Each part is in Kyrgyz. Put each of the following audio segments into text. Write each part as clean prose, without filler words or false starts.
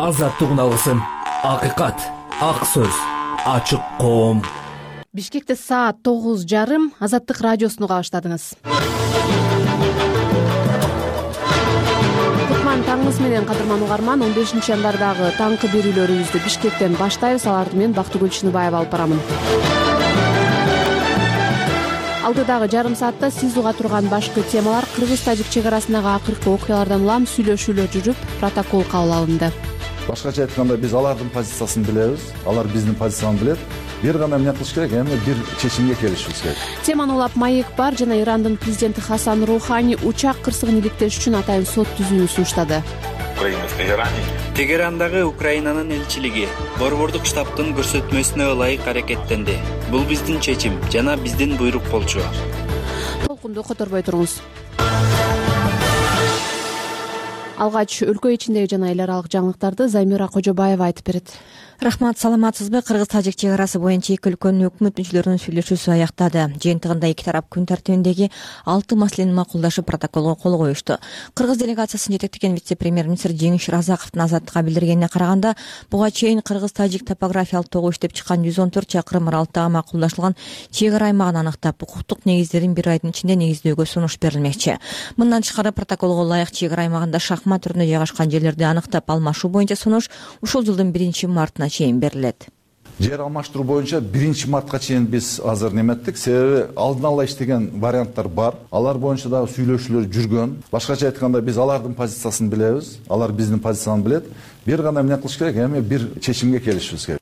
азаттык үналысын, акыйкат, ак сөз, ачык коом. Бишкекте саат 9:30 Азаттык радиосуну кабаштадыңыз. Кутман таңыңыз менен, кадырман угарман. 15 январдагы таңкы берүүлөрүбүздү Бишкектен баштайбыз. Аларды мен Бактыгүл Чыныбаева алып барамын. Алдыдагы жарым саатта сиз уга турган башкы темалар: кыргыз-тажик чек арасындагы акыркы окуялардан улам сүйлөшүүлөр жүрүп, протокол кабыл алынды. Башкача айтканда, биз алардын позициясын билебиз, алар биздин позициябызды билет. Бир гана эмне кылыш керек, эми бир чечимге келишибиз керек. Теманы улап Маек бар жана Ирандын президенти Хасан Рухани учак кырсыгын иликтеш үчүн атайын сот түзүүнү сунуштады. Тегерандагы Украинанын элчилиги борбордук штабтын көрсөтмөсүнө ылайык аракеттенди. Бул биздин чечим жана биздин буйрук болчу. Толкунду которбой туруңуз. Алгач өлкө ичиндеги жана эл аралык жаңылыктарды Замира Кожобаева айтып берет. Рахмат, саламатсызбы? Кыргыз-тажик чек арасы боюнча эки өлкөнүн өкмөт мүчөлөрүнүн сүйлөшүүсү аяктады. Жыйынтыгында эки тарап күн тартибиндеги 6 маселени макулдашып, протоколго кол коюшту. Кыргыз делегациясын жетектеген вице-премьер-министр Жеңиш Разаковдун Азаттыкка билдиргенине караганда, буга чейин кыргыз-тажик топографиялык тогу иштеп чыккан 114 чакырым аралыктагы макулдашылган чек ара аймагын аныктап, укуктук негиздерин бир айдын ичинде негиздөөгө сунуш берилмекчи. Мындан тышкары протоколго ылайык чек ара аймагында шахмат түрүндө жайгашкан жерлерди аныктап алмашуу боюнча сунуш ушул жылдын 1-мартына чейин берилет. Жер алмаштыруу боюнча 1-мартка чейин биз азыр неметтик, себеби алдын ала иштеген варианттар бар. Алар боюнча дагы сүйлөшүүлөр жүргөн. Башкача айтканда, биз алардын позициясын билебиз, алар биздин позициябызды билет. Бир гана эмне кылыш керек, эми бир чечимге келишибиз керек.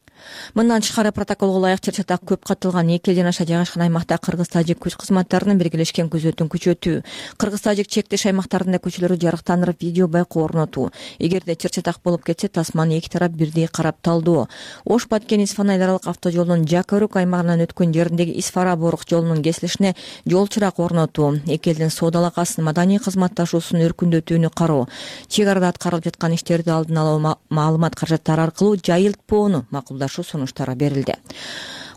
Мындан тышкары протоколго ылайык чыр-чатак көп катталган 2 элден аша жайгашкан аймакта кыргыз-тажик күч кызматтарынын биргелешкен күзөтүн күчөтүү, кыргыз-тажик чектеш аймактарында көчөлөрү жарыктандырып видео байкоо орнотуу, эгерде чыр-чатак болуп кетсе тасманы эки тарап бирдей карап талдоо, Ош-Баткен-Исфана эл аралык автожолунун Жакөрүк аймагынан өткөн жериндеги Исфара-Борук жолунун кесилишине жол чырак орнотуу, эки элдин соода алакасын, маданий кызматташуусун өркүндөтүүнү кароо, чек арада аткарылып жаткан иштерди алдын алуу маалымат каражаттары аркылуу жайылтпоону макулдашуу сунуштары берилди.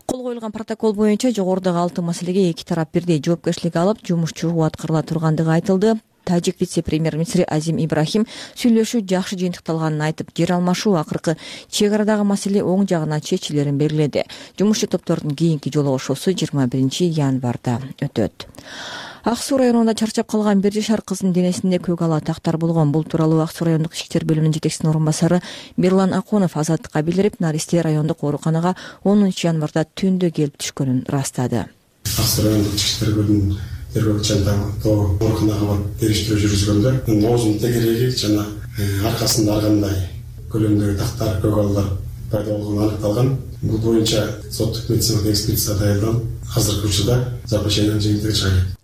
Кол коюлган протокол боюнча жогорудагы 6 маселеге эки тарап бирдей жоопкерчилик алып, жумуш чогуу аткарыла тургандыгы айтылды. Тажик вице-премьер-министри Азим Ибрахим сүйлөшүү жакшы жыйынтыкталганын айтып, жер алмашуу акыркы чек арадагы маселе оң жагына чечилерин белгиледи. Жумушчу топтордун кийинки жолугушуусу 21-январда өтөт. Ак Суу районунда чарчап калган 1 жашар кыздын денесинде көк ала тактар болгон. Бул тууралуу Ак Суу райондук ички иштер бөлүмүнүн жетекчисинин орун басары Берлан Аконов Азаттыкка билдирип, наристе райондук ооруканага 10-январда түндө келип түшкөнүн ырастады. Ак Суу райондук ички иштер бөлүмүнүн тергөөчүлөрү ооруканага барып териштирүү жүргүзгөндө оозунун тегереги жана аркасында ар кандай көлөмдөгү тактар, көк алалар пайда болгону аныкталган. Бул боюнча соттук медициналык экспертиза даярдалып, азыркы учурда заключениянын жыйынтыгы чыгат.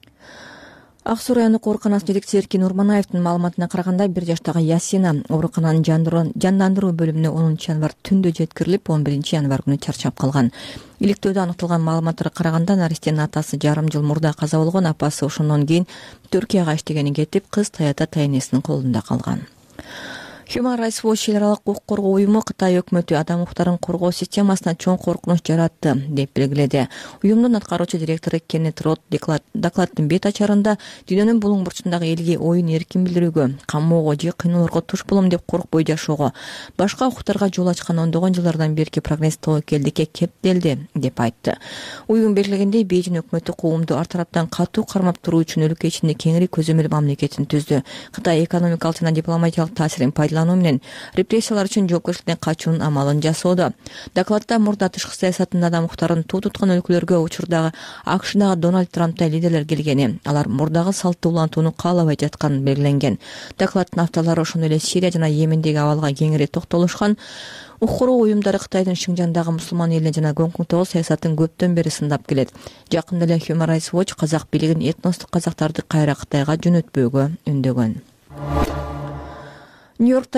Ак Суу райондук ооруканасынын жетекчиси Эркин Урманаевдин маалыматына караганда, 1 жаштагы Ясина оорукананын жандандыруу бөлүмүнө 10-январ түндө жеткирилип, 11-январ күнү чарчап калган. Иликтөөдө аныкталган маалыматтарга караганда, наристенин атасы жарым жыл мурда каза болгон, апасы ошондон кийин Түркияга иштегени кетип, кыз таята тайнесинин колунда калган. Human Rights Watch эл аралык укук коргоо уюму Кытай өкмөтү адам укуктарын коргоо системасына чоң коркунуч жаратты деп белгиледи. Уюмдун аткаруучу директору Кеннет Рот докладдын бет ачарында дүйнөнүн булуң бурчундагы элге оюн эркин билдирүүгө, камоого же кыйноолорго туш болом деп коркпой жашоого, башка укуктарга жол ачкан ондогон жылдардан берки прогресс тобокелдикке кептелди деп айтты. Уюм белгилегендей, Бейжин өкмөтү коомду ар тараптан катуу кармап туруу үчүн өлкө ичинде кеңири көзөмөл мамлекетин түздү. Кытай экономикалык жана дипломатиялык таасирин менен репрессиялар үчүн жоопкерчиликтен качуунун амалын жасоодо. Докладда мурда тышкы саясатында адам укуктарын туу туткан өлкөлөргө учурдагы АКШдагы Дональд Трамптай лидерлер келгени, алар мурдагы салтты улантууну каалабай жатканы белгиленген. Докладдын авторлору ошондой эле Сирия жана Йемендеги абалга кеңири токтолушкан. Укук коргоо уюмдары Кытайдын Шинжандагы мусулман элине жана Гонконгдогу саясатын көптөн бери сындап келет. Жакында эле Human Rights Watch казак бийлигин этностук казактарды кайра Кытайга жөнөтпөөгө үндөгөн. Нью-Йорк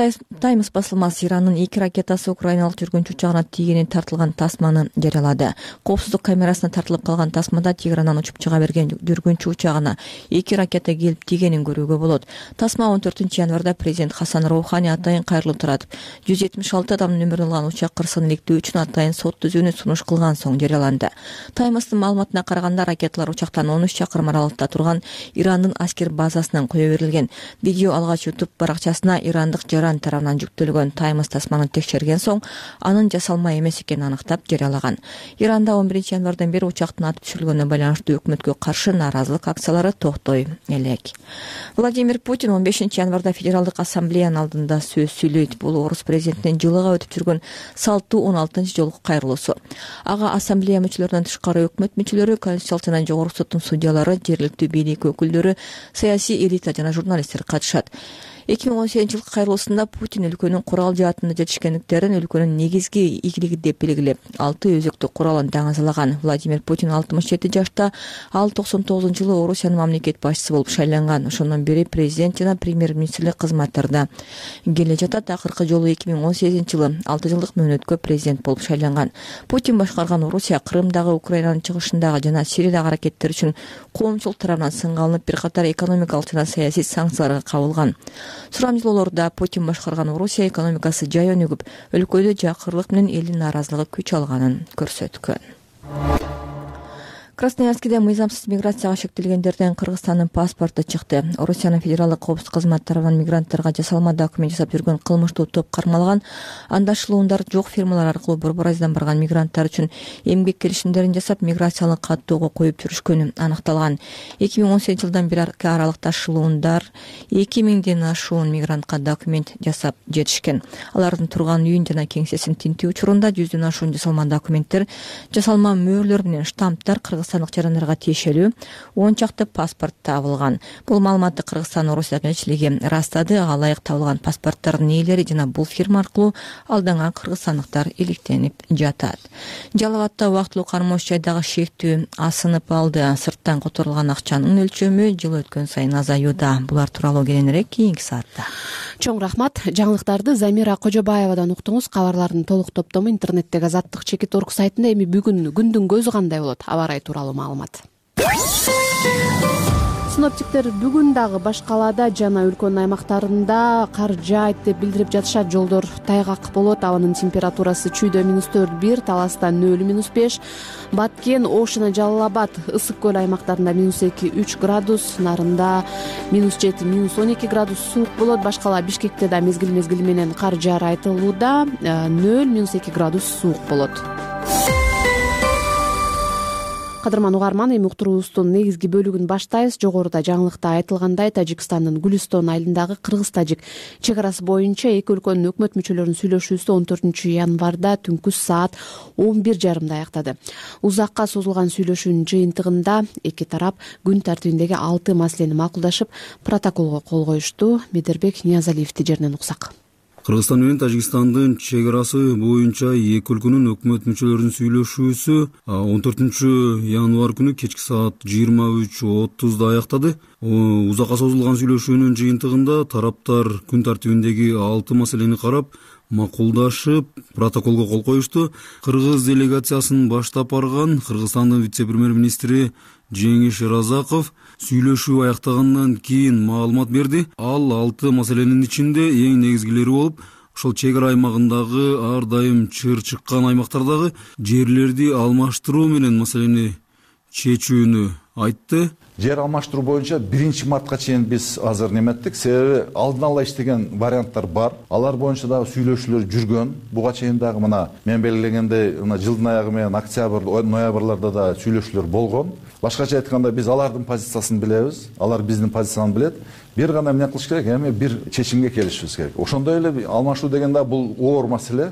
Таймс басылмасы Ирандын 2 ракетасы украиналык жүргүнчү учагына тийгенин тартылган тасманы жарыялады. Коопсуздук камерасына тартылып калган тасмада Тегерандан учуп чыга берген жүргүнчү учагына 2 ракета келип тийгенин көрүүгө болот. Тасма 14-январда президент Хасан Рухани атайын кайрылып туратып, 176 адамдын өмүрүн алган учак кырсыгын иликтөө үчүн атайын сот түзүүнү сунуш кылган соң жарыяланды. Таймстын маалыматына караганда, ракеталар учактан 13 чакырым аралыкта турган Ирандын аскер базасынан кое берилген. Видео алгач YouTube баракчасына Иран ирандык жаран тарабынан жүктөлгөн Times тасманы текшерген соң анын жасалма эмес экенин аныктап жарыялаган. Иранда 11 январдан бери учактын атып түшүрүлгөнүнө байланыштуу өкмөткө каршы нааразылык акциялары токтой элек. Владимир Путин 15 январда Федералдык ассамблеянын алдында сөз сүйлөйт. Бул орус президентинин жылыга өтүп жүргөн салтуу 16 жолку кайрылуусу. Ага ассамблея мүчөлөрүнөн тышкары өкмөт мүчөлөрү, Конституция жана Жогорку соттун судьялары, жергиликтүү бийлик өкүлдөрү, саясий элита жана журналисттер катышат. 2018 жылкы кайрылуусунда Путин өлкөнүн курал жаатында жетишкендиктерин өлкөнүн негизги ийгилиги деп белгилеп, 6 өзөктү куралын даңазалаган. Владимир Путин 67 жашта, ал 99-жылы Орусиянын мамлекет башчысы болуп шайланган. Ошондон бери президент жана премьер-министрлик кызматтарында келе жатат. Акыркы жолу 2018-жылы 6 жылдык мөөнөткө президент болуп шайланган. Путин башкарган Орусия Крымдагы, Украинанын чыгышындагы жана Сириядагы аракеттер үчүн коомчулук тарабынан сынга алынып, бир катар экономикалык жана саясий санкцияларга кабылган. Сурамжылоолордо Путин башкарган Орусия экономикасы жай өнүгүп, өлкөдө жакырлык менен элдин нааразылыгы күч алганын көрсөткөн. Красноярскиде мыйзамсыз миграцияга шектелгендерден Кыргызстандын паспорту чыкты. Орусиянын федералдык коопсуздук кызматы тарабынан мигранттарга жасалма документ жасап жүргөн кылмыштуу топ кармалган. Андашылуундар жок фирмалар аркылуу Борбор Азиядан барган мигранттар үчүн эмгек келишимдерин жасап, миграциялык каттоого коюп жүрүшкөнү аныкталган. 2018 жылдан бери аралыкта ташылуундар 2000ден ашуун мигрантка документ жасап жетишкен. Алардын турган үйүн жана кеңсесин тинтүү учурунда 100дөн ашуун жасалма документтер, жасалма мөөрлөр менен штамптар кыргызстандык жарандарга тиешелүү 10 чакты паспорт табылган. Бул маалыматты Кыргызстан Орусия элчилиги ырастады. Ага ылайык табылган паспорттардын ээлери жана бул фирма аркылуу алдыңа кыргызстандыктар иликтенип жатат. Жалал Абадта убактылуу кармош жайдагы шектүү асынып алды. Сырттан которулган акчанын өлчөмү жыл өткөн сайын азаюуда. Булар тууралуу кийинирээк кийинки саатта. Чоң рахмат. Жаңылыктарды Замира Кожобаевадан уктуңуз. Кабарлардын толук топтому интернеттеги Азаттык.org сайтында. Эми бүгүн күндүн көзү кандай болот? Аба ырайы тууралуу маалымат. Синоптиктер бүгүн дагы баш калаада жана өлкөнүн аймактарында кар жаайт деп билдирип жатышат. Жолдор тайгак болот. Абанын температурасы чүйдө -4,1, Таласта 0,5, Баткен, Ошуна, Жалал Абад, Ысык көл аймактарында -2,3 градус, Нарында -7, -12 градус суук болот. Баш кала Бишкекте да мезгил менен кар жаар айтылууда, 0,-2 градус суук болот. Кадырман угарман, эми уктуруубуздун негизги бөлүгүн баштайбыз. Жогоруда жаңылыкта айтылгандай, Тажикстандын Гүлистон айылындагы кыргыз-тажик чек арасы боюнча эки өлкөнүн өкмөт мүчөлөрүнүн сүйлөшүүсү 14 январда түнкү саат 11:30 аяктады. Узакка созулган сүйлөшүүнүн жыйынтыгында эки тарап күн тартибиндеги 6 маселени макулдашып, протоколго кол коюшту. Медербек Ниязалиевди жеринен уксак. Кыргызстан менен Тажикстандын чек арасы боюнча эки өлкөнүн өкмөт мүчөлөрүнүн сүйлөшүүсү 14 январь күнү кечки саат 23:30 аяктады. Узакка созулган сүйлөшүүнүн жыйынтыгында тараптар күн тартибиндеги 6 маселени карап, макулдашып, протоколго кол коюшту. Кыргыз делегациясын баштап барган Кыргызстандын вице-премьер-министри Жеңиш Разаков сүйлөшүү аяктагандан кийин маалымат берди. Ал 6 маселенин ичинде эң негизгилери болуп, ошол чек ара аймагындагы ар дайым чыр чыккан аймактардагы жерлерди алмаштыруу менен маселени чечүүнү айтты. Жер алмаштыруу боюнча 1 мартка чейин биз азыр неметтик. Себеби алдын ала иштеген варианттар бар. Алар боюнча дагы сүйлөшүүлөр жүргөн. Буга чейин дагы мына мен белгилегендей, жылдын аягы менен октябрь, ноябрларда да сүйлөшүүлөр болгон. Башкача айтканда биз алардын позициясын билебиз, алар биздин позицияны билет. Бир гана эмне кылыш керек? Эми бир чечимге келишибиз керек. Ошондой эле алмашуу деген да бул оор маселе.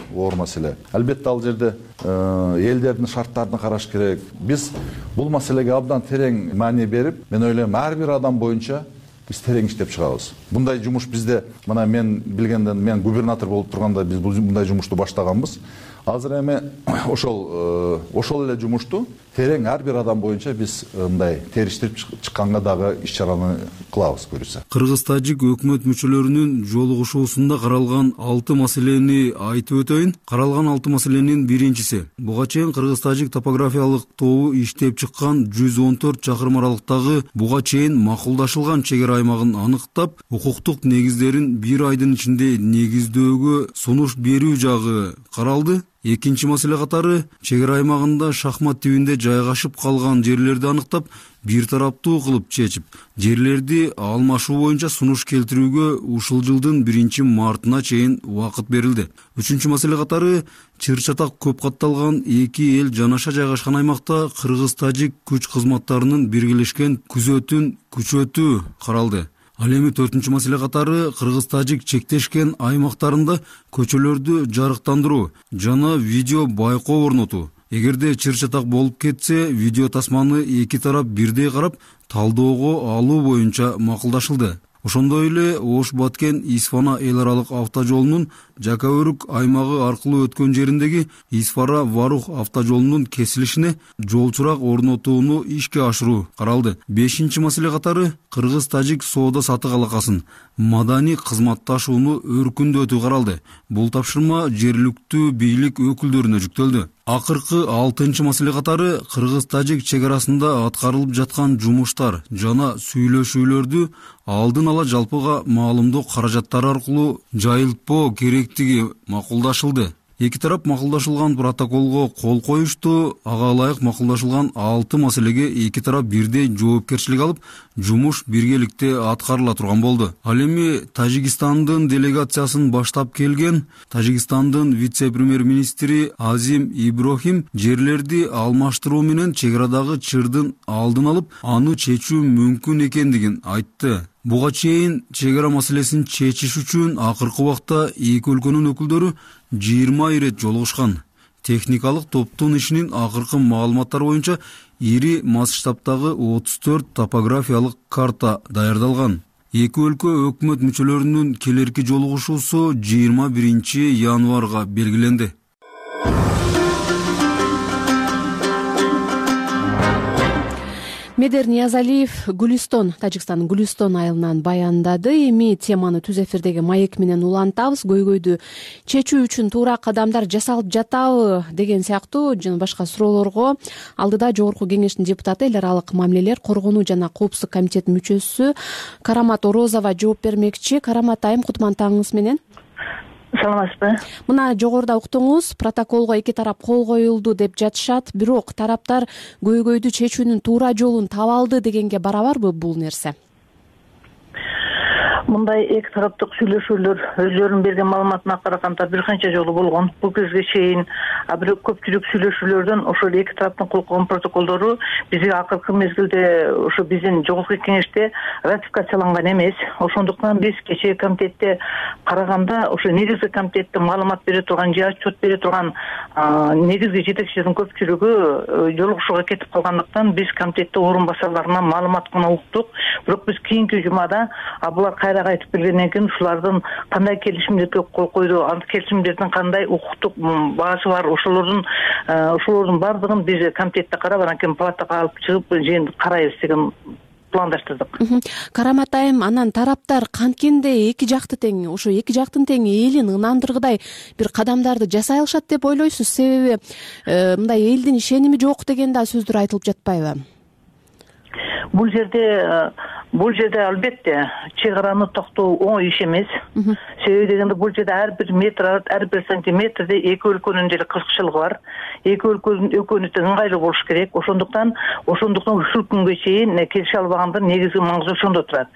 Албетте ал жерде элдердин шарттарын караш керек. Биз бул маселеге абдан терең маани берип, мен ойлойм, ар бир адам боюнча биз терең иштеп чыгабыз. Мындай жумуш бизде, мына мен билгенден, мен губернатор болуп турганда биз мындай жумушту баштаганбыз. Азыр эми ошол эле жумушту терең ар бир адам боюнча биз мындай териштирип чыкканга дагы иш-чараны кылабыз көрүсө. Кыргыз-тажик өкмөт мүчөлөрүнүн жолугушуусунда каралган 6 маселени айтып өтөйүн. Каралган 6 маселенин биринчиси. Буга чейин Кыргыз-тажик топографиялык тобу иштеп чыккан 114 чакырым аралыктагы буга чейин макулдашылган чек ара аймагын аныктап, укуктук негиздерин 1 айдын ичинде негиздөөгө сунуш берүү жагы каралды. Экинчи маселе катары чек ара аймагында шахмат тибинде жайгашып калган жерлерди аныктап, бир тараптуу кылып чечип, жерлерди алмашуу боюнча сунуш келтирүүгө ушул жылдын 1-мартына чейин убакыт берилди. Үчүнчү маселе катары чыр-чатак көп катталган эки эл жанаша жайгашкан аймакта кыргыз-тажик күч кызматтарынын биргелешкен күзөтүн күчөтүү каралды. Ал эми 4-чү маселе катары кыргыз-тажик чектешкен аймактарында көчөлөрдү жарыктандыруу жана видео байкоо орнотуу. Эгерде чыр-чатак болуп кетсе, видео тасманы эки тарап бирдей карап, талдоого алуу боюнча макулдашылды. Ошондой эле Ош-Баткен Исфана эл аралык автожолунун Жакаөрүк аймагы аркылуу өткөн жериндеги Исфара-Варух автожолунун кесилишине жолчурак орнотууну ишке ашыруу каралды. 5-чи маселе катары кыргыз-тажик соода-сатык алакасын маданий кызматташууну өркүндөтүү каралды. Бул тапшырма жергиликтүү бийлик өкүлдөрүнө жүктөлдү. Акыркы 6-чы маселе катары кыргыз-тажик чек арасында аткарылып жаткан жумуштар жана сүйлөшүүлөрдү алдын ала жалпыга маалымдоо каражаттары аркылуу жайылтпоо керектиги макулдашылды. Эки тарап макулдашылган протоколго кол коюшту. Ага ылайык макулдашылган 6 маселеге эки тарап бирдей жоопкерчилик алып, жумуш биргеликте аткарыла турган болду. Ал эми Тажикстандын делегациясын баштап келген Тажикстандын вице-премьер-министри Азим Иброхим жерлерди алмаштыруу менен чек арадагы чырдын алдын алып, аны чечүү мүмкүн экендигин айтты. Буга чейин чек ара маселесин чечиш үчүн акыркы убакта эки өлкөнүн өкүлдөрү 20 ирет жолугушкан. Техникалык топтун ишинин акыркы маалыматтары боюнча ири масштабтагы 34 топографиялык карта даярдалган. Эки өлкө өкмөт мүчөлөрүнүн келерки жолугушуусу 21 январга белгиленди. Медер Ниязалиев Гүлүстон, Тажикстандын Гүлүстон айылынан баяндады. Эми теманы түз эфирдеги маек менен улантабыз. Көйгөйдү чечүү үчүн туура кадамдар жасалып жатабы деген сыяктуу жана башка суроолорго алдыда Жогорку Кеңештин депутаты, эл аралык мамилелер, коргонуу жана коопсуздук комитетинин мүчөсү Карамат Орозова жооп бермекчи. Карамат айым, кутман таңыңыз менен. Саламатсызбы? Мына жогоруда уктуңуз, протоколго эки тарап кол коюлду деп жатышат, бирок тараптар көйгөйдү чечүүнүн туура жолун таба алды дегенге барабарбы бул нерсе? Мындай эки тараптык сүйлөшүүлөр өздөрүнүн берген маалыматына караганда бир канча жолу болгон. Бул кезге чейин бирок көпчүлүк сүйлөшүүлөрдөн ошол эки тараптын кол койгон протоколдору бизге акыркы мезгилде ошо биздин Жогорку Кеңеште ратификацияланган эмес. Ошондуктан биз кечээ комитетте караганда ошо негизги комитетте маалымат бере турган же отчет бере турган негизги жетекчилердин көпчүлүгү жолугушууга кетип калгандыктан биз комитетте орун басарларынан маалымат гана уктук. Бирок биз кийинки жумада булар кайра айтып келгенден кийин ушулардын кандай келишимдерге кол койду, ал келишимдердин кандай укуктук баасы бар, ошолордун баардыгын биз комитетте карап, анан кийин палатага алып чыгып жыйын карайбыз деген пландаштырдык. Карамат айым, анан тараптар канткенде эки жакты тең, ошо эки жактын тең элин ынандыргыдай бир кадамдарды жасай алышат деп ойлойсуз? Себеби мындай элдин ишеними жок деген да сөздөр айтылып жатпайбы? Бул жерде албетте чек араны токтоо оңой иш эмес. Себеби дегенде бул жерде ар бир метр, ар бир сантиметрде эки өлкөнүн деле кызыкчылыгы бар. Эки өлкөнүн экөөнү тең ыңгайлуу болуш керек. Ошондуктан ушул күнгө чейин келише албагандын негизги маңызы ошондо турат.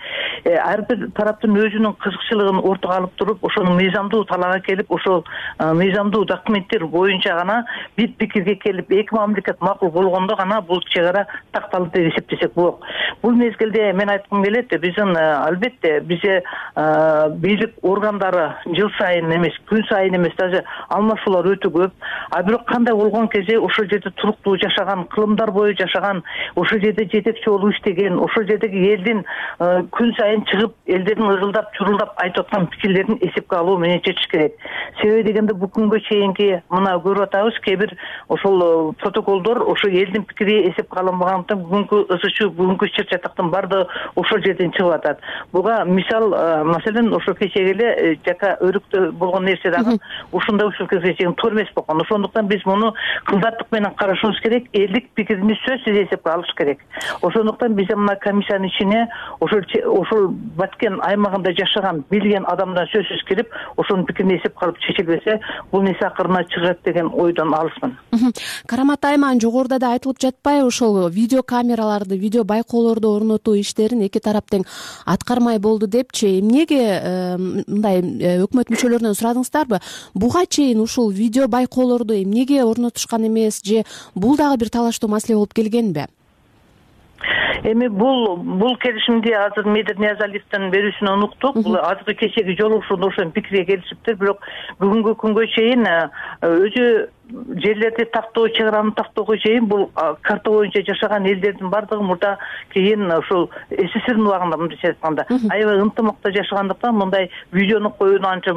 Ар бир тараптын өзүнүн кызыкчылыгын ортого алып туруп, ошону мыйзамдуу талаага келип, ошол мыйзамдуу документтер боюнча гана бир пикирге келип, эки мамлекет макул болгондо гана бул чек ара такталды деп эсептесек болот. Бул мезгилде мен айткым келет, биздин албетте бизге бийлик органдары жыл сайын эмес, күн сайын эмес, даже алмашуулар өтө көп. Бирок кандай болгон кезде ошол жерде туруктуу жашаган, кылымдар бою жашаган, ошол жерде жетекчи болуп иштеген, ошол жердеги элдин күн сайын чыгып, элдердин ызылдап, чурулдап айтып аткан пикирлерин эсепке алуу менен чечиш керек. Себеби дегенде бул күнгө чейинки мына көрүп атабыз, кээ бир ошол протоколдор ошо элдин пикири эсепке алынбагандыктан бүгүнкү ызы чуу, бүгүнкү чыр-чатактын баардыгы ошол жерден чыгып атат. Буга мисал маселен ошо кечеге эле жака өрүктө болгон нерсе дагы ушундай ушул кезге чейин туура эмес болгон. Ошондуктан биз муну кылдаттык менен карашыбыз керек, элдик пикирини сөзсүз эсепке алыш керек. Ошондуктан биз мына комиссиянын ичине ошол Баткен аймагында жашаган, билген адамдан сөзсүз кирип, ошонун пикирин эсепке алып чечилбесе, бул нерсе акырына чыгат деген ойдон алысмын. Карамат айым, жогоруда да айтылып жатпайбы, ошол видео камераларды, видео байкоолорду орнотуу иштерин эки тарап тең аткармай болду депчи. Эмнеге мындай өкмөт мүчөлөрүнөн сурадыңыздарбы? Буга чейин ушул видео байкоолорду эмнеге орнотушкан эмес, же бул дагы бир талаштуу маселе болуп келгенби? Эми бул келишимди азыр Медет Ниязалиевдин берүүсүнөн уктук. Бул азыркы кечеги жолугушууда ошол пикирге келишиптир, бирок бүгүнкү күнгө чейин өзү жерлерди тактоо, чек араны тактоого чейин бул карта боюнча жашаган элдердин бардыгы мурда кийин ушул СССРдин убагында мындайча айтканда аябай ынтымакта жашагандыктан мындай видеону коюуну анча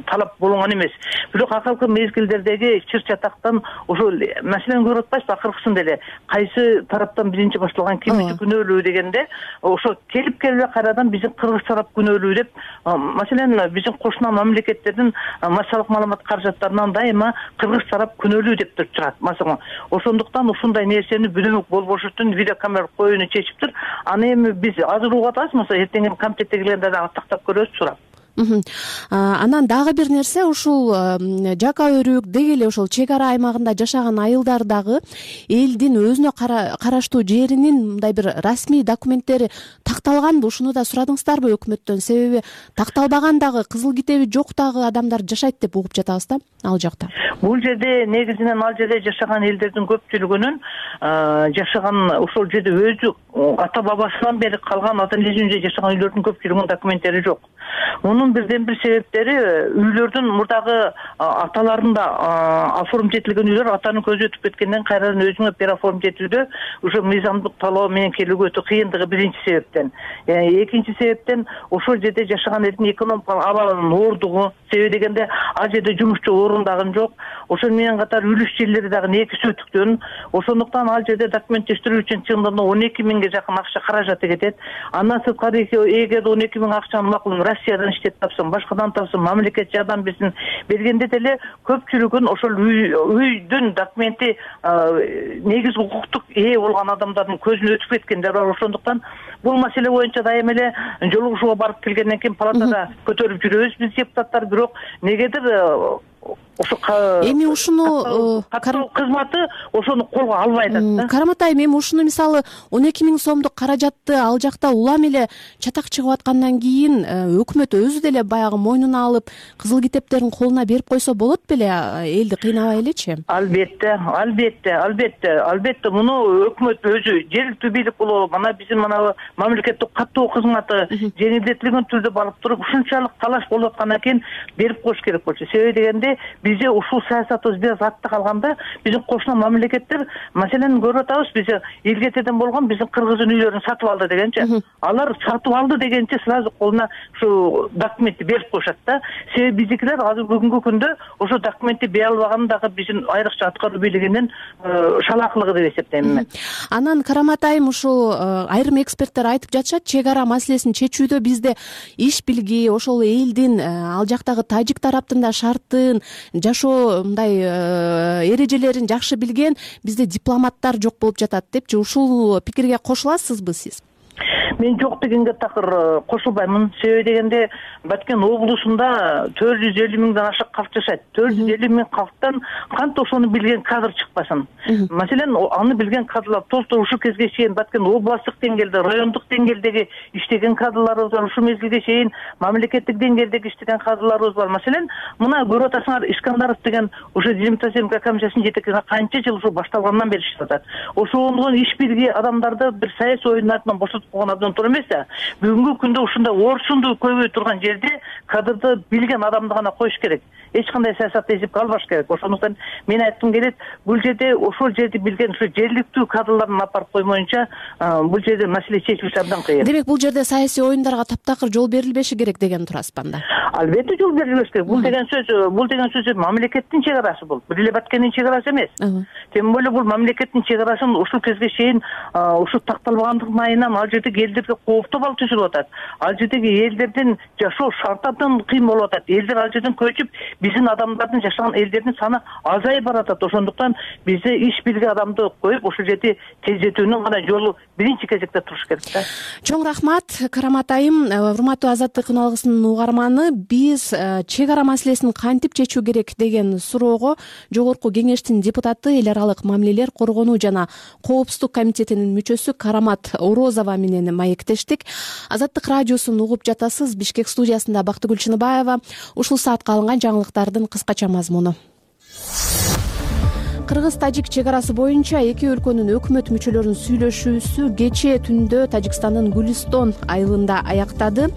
талап болгон эмес. Бирок акыркы мезгилдердеги чыр чатактан ошол маселени көрүп атпайсызбы, акыркысында эле кайсы тараптан биринчи башталган, ким үчүн күнөөлүү дегенде ошо келип кайрадан биздин кыргыз тарап күнөөлүү деп, маселен биздин кошуна мамлекеттердин массалык маалымат каражаттарынан дайыма кыргыз тарап күнөөлүү деп турат. Маселен, ошондуктан ушундай нерсени бүдүмүк болбош үчүн видеокамера коюуну чечиптир. Аны эми биз азыр угуп атабыз, эртең комитетке келгенде дагы тактап көрөбүз, сурап. Анан дагы бир нерсе, ушул жака өрүк деги эле ошол чек ара аймагында жашаган айылдар дагы элдин өзүнө караштуу жеринин мындай бир расмий документтери такталганбы? Ушуну да сурадыңыздарбы өкмөттөн? Себеби такталбаган дагы, кызыл китеби жок дагы адамдар жашайт деп угуп жатабыз да ал жакта. Бул жерде негизинен ал жерде жашаган элдердин көпчүлүгүнүн жашаган ошол жерде өзү ата бабасынан бери калган, ата энесинде жашаган үйлөрдүн көпчүлүгүнүн документтери жок. Мунун бирден бир себептери үйлөрдүн мурдагы аталарында оформить этилген үйлөр атанын көзү өтүп кеткенден кайрадан өзүңө переоформить этүүдө уже мыйзамдык талоо менен келүүгө өтө кыйындыгы биринчи себептен. Экинчи себептен ошол жерде жашаган элдин экономикалык абалынын оордугу. Себеби дегенде ал жерде жумушчу орун дагы жок. Ошол менен катар үлүш жерлери дагы негиз өтүктөн. Ошондуктан ал жерде документтештирүү үчүн чындыгында 12 миңге жакын акча каражаты кетет. Андан сырткары эгерде 12 миң акчаны макул Россиядан иштеп тапсын, башкадан тапсын, мамлекет жардам берсин бергенде деле көпчүлүгүн ошол үйдүн документи негиз укуктук ээ болгон адамдардын көзүнө өтүп кеткендер бар. Ошондуктан бул маселе боюнча дайыма эле жолугушууга барып келгенден кийин палатада көтөрүп жүрөбүз биз депутаттар, бирок негедир ошо эми ушуну кызматы ошону колго албай атат да. Карамат айым, эми ушуну мисалы 12 миң сомдук каражатты ал жакта улам эле чатак чыгып аткандан кийин өкмөт өзү деле баягы мойнуна алып кызыл китептерин колуна берип койсо болот беле, элди кыйнабай элечи? Албетте. Муну өкмөт өзү, жергиликтүү бийлик болобу, мына биздин мамлекеттик каттоо кызматы жеңилдетилген түрдө барып туруп ушунчалык талаш болуп аткандан кийин берип коюш керек болчу. Себеби дегенде бизде ушул саясатыбыз бир атта калганда биздин кошуна мамлекеттер, маселени көрүп атабыз, биз элгетеден болгон биздин кыргыздын үйлөрүн сатып алды дегенче, алар сатып алды дегенче сразу колуна ушу документти берип коюшат да. Себеби биздикилер азыр бүгүнкү күндө ошо документти бере албаган дагы биздин айрыкча аткаруу бийлигинин шалаакылыгы деп эсептейм мен. Анан Карамат айым, ушул айрым эксперттер айтып жатышат, чек ара маселесин чечүүдө бизде иш билги, ошол элдин ал жактагы тажик тараптын да шартын, жашоо мындай эрежелерин жакшы билген бизде дипломаттар жок болуп жатат депчи. Ушул пикирге кошуласызбы сиз? Мен жок дегенге такыр кошулбаймын. Себеби дегенде Баткен облусунда 450 миңден ашык калк жашайт. 450 миң калктан кантип ошону билген кадр чыкпасын? Маселен, аны билген кадрлар толтур ушул кезге чейин Баткен областтык деңгээлде, райондук деңгээлдеги иштеген кадрларыбыз бар. Ушул мезгилге чейин мамлекеттик деңгээлдеги иштеген кадрларыбыз бар. Маселен, мына көрүп атасыңар, Искандаров деген ошо Демократия комиссиясынын жетекчиси канча жыл ушул башталгандан бери иштеп атат. Ошондон иш билги адамдарды бир саясий оюндардан бошотуп койгон абдан туура эмес да. Бүгүнкү күндө ушундай орчунду көбөй турган жерде кадрды билген адамды гана коюш керек. Эч кандай саясатты эсепке албаш керек. Ошондуктан мен айткым келет, бул жерде ошол жерди билген ушу жергиликтүү кадрларын апарып коймоюнча бул жерде маселе чечилиши абдан кыйын. Демек бул жерде саясий оюндарга таптакыр жол берилбеши керек деген турасызбы анда? Албетте жол берилбеш керек. Бул деген сөз мамлекеттин чек арасы бул. Бир эле Баткендин чек арасы эмес. Тем более бул мамлекеттин чек арасын ушул кезге чейин ушу такталбагандыгын айынан ал жерде элдерге кооптуу абал түзүлүп атат. Ал жердеги элдердин жашоо шарты абдан кыйын болуп атат. Элдер ал жерден көчүп, биздин адамдардын жашаган элдердин саны азайып баратат. Ошондуктан бизде иш билген адамды коюп, ошол жерде тездетүүнүн гана жолу биринчи кезекте туруш керек да. Чоң рахмат, Карамат айым. Урматтуу Азаттык үналгысынын угарманы, биз чек ара маселесин кантип чечүү керек деген суроого Жогорку Кеңештин депутаты, эл аралык мамилелер коргонуу жана коопсуздук комитетинин мүчөсү Карамат Орозова менен маектештик. Азаттык радиосун угуп жатасыз. Бишкек студиясында Бактыгүл Чыныбаева. Ушул саатка алынган жаңылыктардын кыскача мазмуну. Кыргыз-Тажик чек арасы боюнча эки өлкөнүн өкмөт мүчөлөрүнүн сүйлөшүүсү кечээ түндө Тажикстандын Гүлистон айылында аяктады.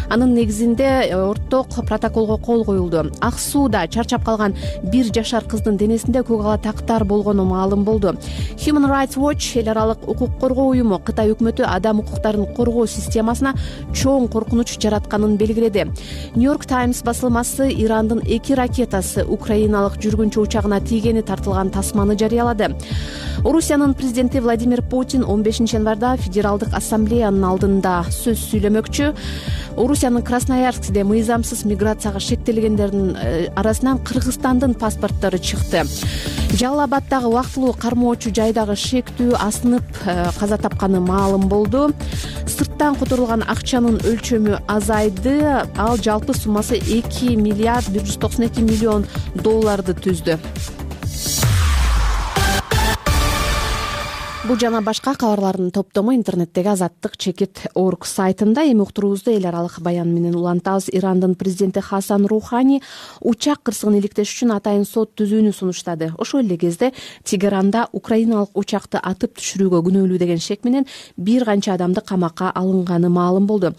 Анын негизинде орток протоколго кол коюлду. Ак сууда чарчап калган 1 жашар кыздын денесинде көк ала тактар болгону маалым болду. Human Rights Watch, эл аралык укук коргоо уюму, Кытай өкмөтү адам укуктарын коргоо системасына чоң коркунуч жаратканын белгиледи. New York Times басылмасы Ирандын 2 ракетасы украиналык жүргүнчү учагына тийгени тартылган тасманы жарыялады. Орусиянын президенти Владимир Путин 15 январда Федералдык ассамблеянын алдында сөз сүйлөмөкчү. Орусиянын Красноярскиде мыйзамсыз миграцияга шектелгендердин арасынан Кыргызстандын паспорттору чыкты. Жалал Абаддагы убактылуу кармоочу жайдагы шектүү асынып каза тапканы маалым болду. Сырттан которулган акчанын өлчөмү азайды. Ал жалпы суммасы 2 миллиард 192 миллион долларды түздү. Бул жана башка кабарлардын топтому интернеттеги Азаттык.org сайтында. Эми уктуруубузду эл аралык баян менен улантабыз. Ирандын президенти Хасан Рухани учак кырсыгын иликтеш үчүн атайын сот түзүүнү сунуштады. Ошол эле кезде Тегеранда украиналык учакты атып түшүрүүгө күнөөлүү деген шек менен бир канча адамды камакка алынганы маалым болду.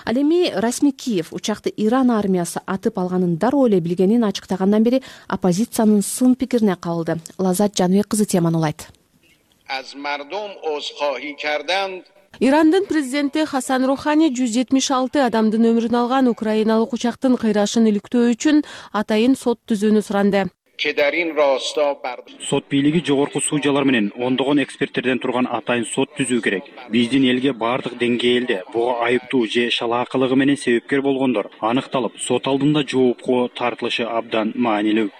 Ал эми расмий Киев учакты Иран армиясы атып алганын дароо эле билгенин ачыктагандан бери оппозициянын сын пикирине кабылды. Лазат Жаныбек кызы теманы улайт. Ирандын президенти Хасан Рухани 176 адамдын өмүрүн алган украиналык учактын кыйрашын иликтөө үчүн атайын сот түзүүнү суранды. Сот бийлиги жогорку судьялар менен ондогон эксперттерден турган атайын сот түзүү керек. Биздин элге бардык деңгээлде буга айыптуу же шалаакылыгы менен себепкер болгондор аныкталып, сот алдында жоопко тартылышы абдан маанилүү,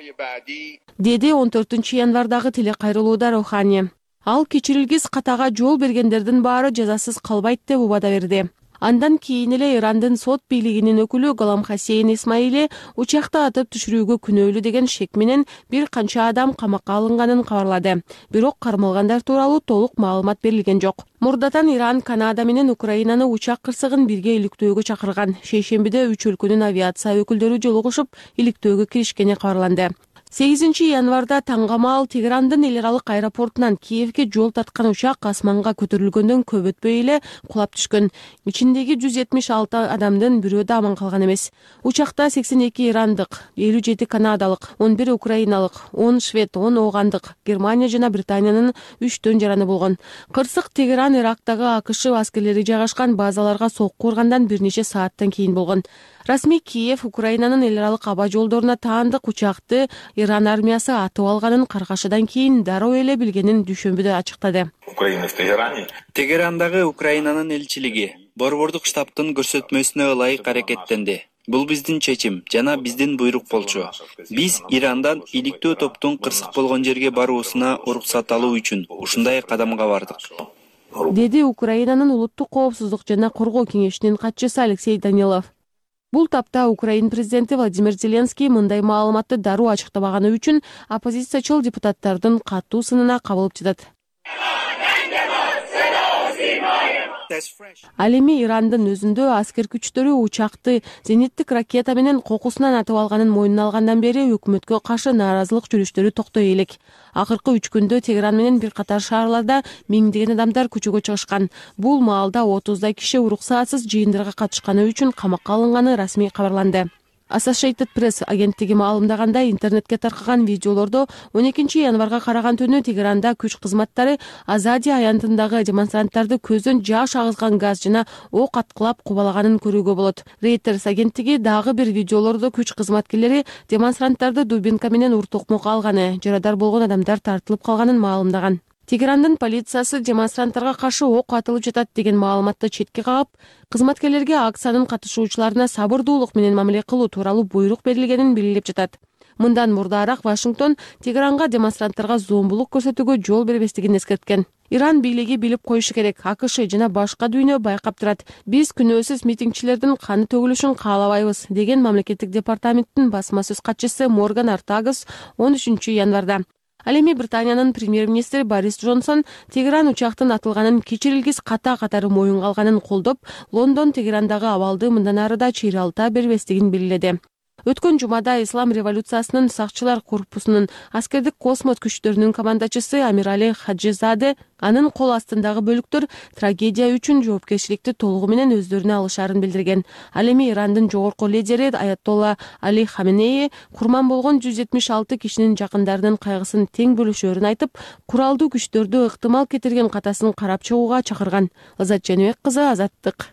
деди 14 январдагы телекайрылууда Рухани. Ал кечирилгис катага жол бергендердин баары жазасыз калбайт деп убада берди. Андан кийин эле Ирандын сот бийлигинин өкүлү Голам Хасейн Исмаили учакты атып түшүрүүгө күнөөлүү деген шек менен бир канча адам камакка алынганын кабарлады. Бирок кармалгандар тууралуу толук маалымат берилген жок. Мурдатан Иран, Канада менен Украинаны учак кырсыгын бирге иликтөөгө чакырган. Шейшембиде 3 өлкөнүн авиация өкүлдөрү жолугушуп иликтөөгө киришкени кабарланды. 8 январда таңгамал Тегерандын эл аралык аэропортунан Киевге жол тарткан учак асманга көтөрүлгөндөн көп өтпөй эле кулап түшкөн. Ичиндеги 176 адамдын бирөө да аман калган эмес. Учакта 82 ирандык, 57 канадалык, 11 украиналык, 10 швед, 10 оогандык, Германия жана Британиянын 3 жараны болгон. Кырсык Тегеран Ирактагы АКШ аскерлери жайгашкан базаларга сокку ургандан бир нече сааттан кийин болгон. Расмий Киев Украинанын эл аралык аба жолдоруна таандык учакты Иран армиясы атып алганын каргашадан кийин дароо эле билгенин дүйшөмбүдө ачыктады. Тегерандагы Украинанын элчилиги борбордук штабтын көрсөтмөсүнө ылайык аракеттенди. Бул биздин чечим жана биздин буйрук болчу. Биз Ирандан иликтөө топтун кырсык болгон жерге баруусуна уруксат алуу үчүн ушундай кадамга бардык, деди Украинанын улуттук коопсуздук жана коргоо кеңешинин катчысы Алексей Данилов. Бул тапта Украин президенти Владимир Зеленский мындай маалыматты дароо ачыктабаганы үчүн оппозициячыл депутаттардын катуу сынына кабылып жатат. Ал эми Ирандын өзүндө аскер күчтөрү учакты зениттик ракета менен кокусунан атып алганын мойнуна алгандан бери өкмөткө каршы нааразылык жүрүштөрү токтой элек. Акыркы 3 күндө Тегеран менен бир катар шаарларда миңдеген адамдар көчөгө чыгышкан. Бул маалда 30 киши уруксатсыз жыйындарга катышканы үчүн камакка алынганы расмий кабарланды. Associated Press агенттиги маалымдагандай, интернетке таркаган видеолордо 12 январга караган түнү Тегеранда күч кызматтары Азади аянтындагы демонстранттарды көздөн жаш агызган газ жана ок аткылап кубалаганын көрүүгө болот. Reuters агенттиги дагы бир видеолордо күч кызматкерлери демонстранттарды дубинка менен ур токмокко алганы, жарадар болгон адамдар тартылып калганын маалымдаган. Тегерандын полициясы демонстранттарга каршы ок атылып жатат деген маалыматты четке кагып, кызматкерлерге акциянын катышуучуларына сабырдуулук менен мамиле кылуу тууралуу буйрук берилгенин белгилеп жатат. Мындан мурдараак Вашингтон Тегеранга демонстранттарга зомбулук көрсөтүүгө жол бербестигин эскерткен. Иран бийлиги билип коюшу керек, АКШ жана башка дүйнө байкап турат. Биз күнөөсүз митингчилердин каны төгүлүшүн каалабайбыз, деген мамлекеттик департаменттин басма сөз катчысы Морган Ортагас 13 январда. Ал эми Британиянын премьер-министри Борис Джонсон Тегеран учактын атылганын кечирилгис катары моюнга алганын колдоп, Лондон Тегерандагы абалды мындан ары да чыйралта бербестигин белгиледи. Өткөн жумада Ислам революциясынын сакчылар корпусунун аскердик космос күчтөрүнүн командачысы Амирали Хаджизаде анын кол астындагы бөлүктөр трагедия үчүн жоопкерчиликти толугу менен өздөрүнө алышаарын билдирген. Ал эми Ирандын жогорку лидери Аятолла Али Хаменеи курман болгон 176 кишинин жакындарынын кайгысын тең бөлүшөөрүн айтып, куралдуу күчтөрдү ыктымал кетирген катасын карап чыгууга чакырган. Азат Жаныбек кызы, Азаттык.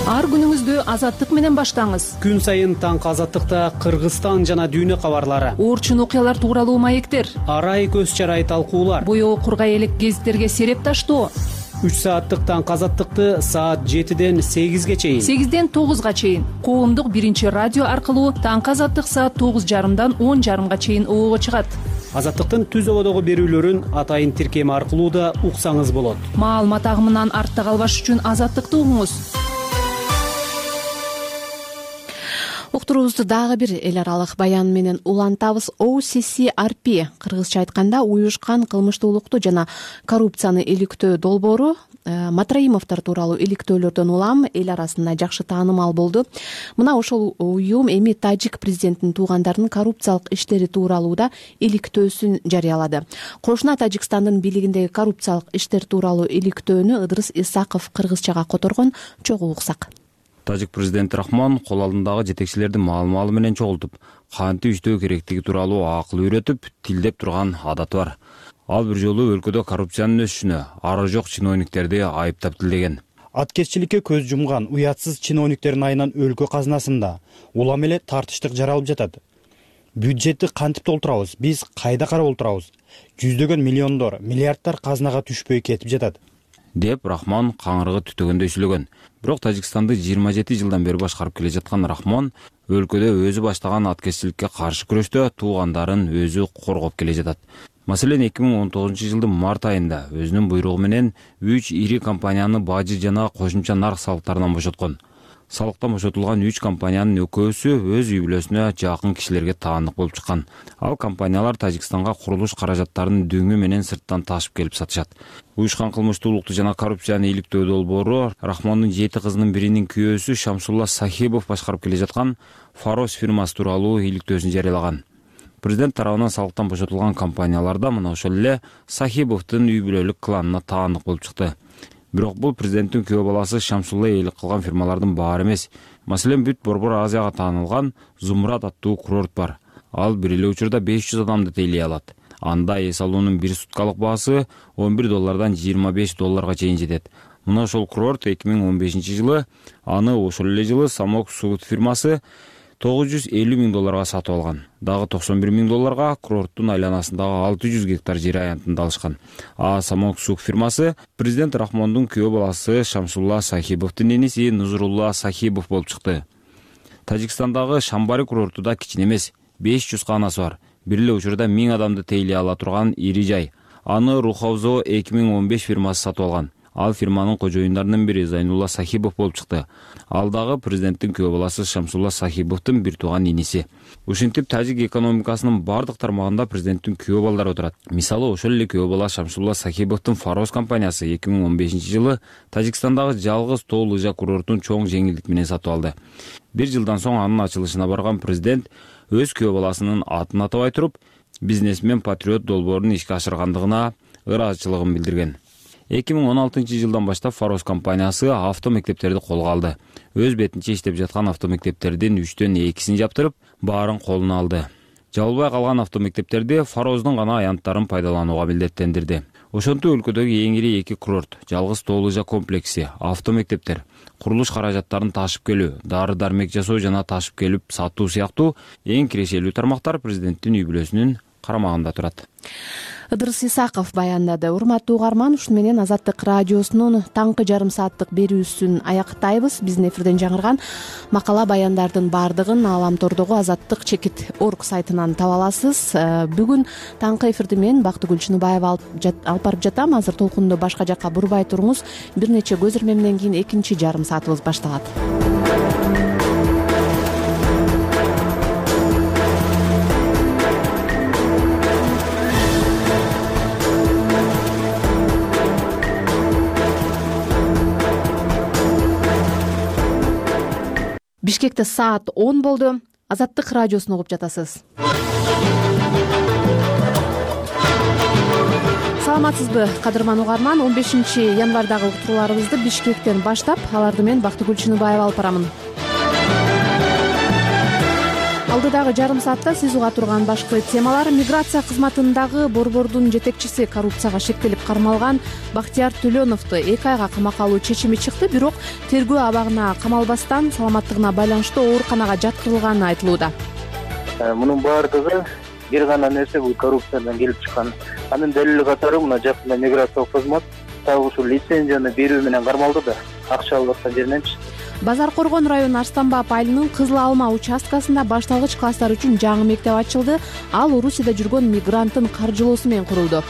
Ар күнүңүздү Азаттык менен баштаңыз. Күн сайын таңкы Азаттыкта Кыргызстан жана дүйнө кабарлары, Оорчун окуялар тууралуу маектер, арай көз чарай талкуулар, боёо кургай элек гезиттерге сереп таштоо. 3 сааттык таңкы Азаттыкты саат 7ден 8ге чейин, 8ден 9га чейин коомдук биринчи радио аркылуу таңкы Азаттык саат 9:30дан 10:30га чейин оого чыгат. Азаттыктын түз ободогу берүүлөрүн атайын тиркеми аркылуу да уксаңыз болот. Маалымат агымынан артта калбаш үчүн Азаттыкты угуңуз. Уктуруубузду дагы бир эл аралык баян менен улантабыз. OCCRP, кыргызча айтканда уюшкан кылмыштуулукту жана коррупцияны иликтөө долбоору Матраимовдор тууралуу иликтөөлөрдөн улам эл арасында жакшы таанымал болду. Мына ошол уюм эми тажик президентинин туугандарынын коррупциялык иштери тууралуу да иликтөөсүн жарыялады. Кошуна Тажикстандын бийлигиндеги коррупциялык иштер тууралуу иликтөөнү Ыдырыс Исаков кыргызчага которгон, чогуу уксак. Тажик президенти Рахмон кол алдындагы жетекчилерди маал-маалы менен чогултуп, кантип иштөө керектиги тууралуу акыл үйрөтүп, тилдеп турган адаты бар. Ал бир жолу өлкөдө коррупциянын өсүшүнө ары жок чиновниктерди айыптап тилдеген. Аткезчиликке көз жумган уятсыз чиновниктердин айынан өлкө казынасында улам эле тартыштык жаралып жатат. Бюджетти кантип толтурабыз, биз кайда карап отурабыз? Жүздөгөн миллиондор, миллиарддар казынага түшпөй кетип жатат, деп Рахмон каңырыгы түтөгөндөй сүйлөгөн. Бирок Тажикстанды 27 жылдан бери башкарып келе жаткан Рахмон өлкөдө өзү баштаган аткезчиликке каршы күрөштө туугандарын өзү коргоп келе жатат. Маселен 2019 жылдын март айында өзүнүн буйругу менен 3 ири компанияны бажы жана кошумча нарк салыктарынан бошоткон. Салыктан бошотулган 3 компаниянын экөөсү өз үй бүлөсүнө жакын кишилерге таандык болуп чыккан. Ал компаниялар Тажикстанга курулуш каражаттарын дөңү менен сырттан ташып келип сатышат. Уюшкан кылмыштуулукту жана коррупцияны иликтөө долбоору Рахмондун 7 кызынын биринин күйөөсү Шамсулла Сахибов башкарып келе жаткан Фарос фирмасы тууралуу иликтөөсүн жарыялаган. Президент тарабынан салыктан бошотулган компанияларда мына ошол эле Сахибовдун үй бүлөлүк кланына таандык болуп чыкты. Бирок бул президенттин күйөө баласы Шамсулла ээлик кылган фирмалардын баары эмес. Маселен бүт Борбор Азияга таанылган Зумрад аттуу курорт бар. Ал бир эле учурда 500 адамды тейлей алат. Анда эс алуунун бир суткалык баасы $11 $25 чейин жетет. Мына ошол курорт 2015 жылы, аны ошол эле жылы Самок Суут фирмасы $950 000 сатып алган. Дагы $91 000 курорттун айланасындагы 600 гектар жер аянтында алышкан. Самок Суут фирмасы президент Рахмондун күйөө баласы Шамсулла Сахибовдун эниси Нузрулла Сахибов болуп чыкты. Тажикстандагы Шамбари курорту да кичине эмес, 500 каанасы бар. Бир эле учурда 1000 адамды тейлей ала турган ири жай. Аны Рухавзо 2015 фирмасы сатып алган. Ал фирманын кожоюндарынын бири Зайнулла Сахибов болуп чыкты. Ал дагы президенттин күйөө баласы Шамсулла Сахибовдун бир тууган иниси. Ушинтип Тажик экономикасынын бардык тармагында президенттин күйөө балдары отурат. Мисалы, ошол эле күйөө бала Шамсулла Сахибовдун Фарос компаниясы 2015 жылы Тажикстандагы жалгыз тоо лыжа курортун чоң жеңилдик менен сатып алды. Бир жылдан соң анын ачылышына барган президент өз күйөө баласынын атын атабай туруп, бизнесмен патриот долбоорун ишке ашыргандыгына ыраазычылыгын билдирген. 2016 жылдан баштап Фарос компаниясы автомектептерди колго алды. Өз бетинче иштеп жаткан автомектептердин 3төн 2син жаптырып, баарын колуна алды. Жабылбай калган автомектептерди Фароздун гана аянттарын пайдаланууга милдеттендирди. Ошентип өлкөдөгү эң ири 2 курорт, жалгыз тоо лыжа комплекси, автомектептер, курулуш каражаттарын ташып келүү, дары-дармек жасоо жана ташып келип сатуу сыяктуу эң кирешелүү тармактар президенттин үй бүлөсүнүн карамагында турат. Ыдырыс Исаков баяндады. Урматтуу угарман, ушуну менен Азаттык радиосунун таңкы жарым сааттык берүүсүн аяктайбыз. Биздин эфирден жаңырган макала баяндардын баардыгын Ааламтордогу Азаттык-орг сайтынан таба аласыз. Бүгүн таңкы эфирди мен Бактыгүл Чыныбаева алып барып жатам. Азыр толкунду башка жакка бурбай туруңуз. Бир нече көз ирмемден кийин экинчи жарым саатыбыз башталат. Бишкекте саат 10 болду. Азаттык радиосун угуп жатасыз. Саламатсызбы, кадырман угарман? 15 январдагы уктурууларыбызды Бишкектен баштап, аларды мен Бактыгүл Чыныбаева алып барамын. Алдыдагы жарым саатта сиз уга турган башкы темалар: миграция кызматындагы борбордун жетекчиси коррупцияга шектелип кармалган Бактияр Төлөновду 2 айга камакка алуу чечими чыкты, бирок тергөө абагына камалбастан саламаттыгына байланыштуу ооруканага жаткырылганы айтылууда. Мунун баардыгы бир гана нерсе, бул коррупциядан келип чыккан. Анын далили катары мына жакында миграциялык кызмат дагы ушул лицензияны берүү менен кармалды да, акча алып аткан жериненчи. Базар Коргон району Арстанбап айылынын Кызыл Алма участкасында башталгыч класстар үчүн жаңы мектеп ачылды. Ал Орусияда жүргөн мигранттын каржылоосу менен курулду.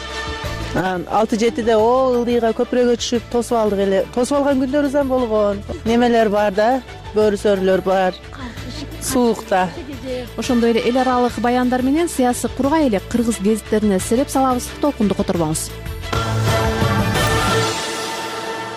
6-7-де ылдыйга көпүрөгө түшүп тосуп алдык эле. Тосуп алган күндөрүбүз да болгон. Немелер бар да, бөрүсөрлөр бар. Суукта. Ошондой эле эл аралык баяндар менен сыясы кургай элек кыргыз гезиттерине сереп салабыз. Толкунду которбоңуз.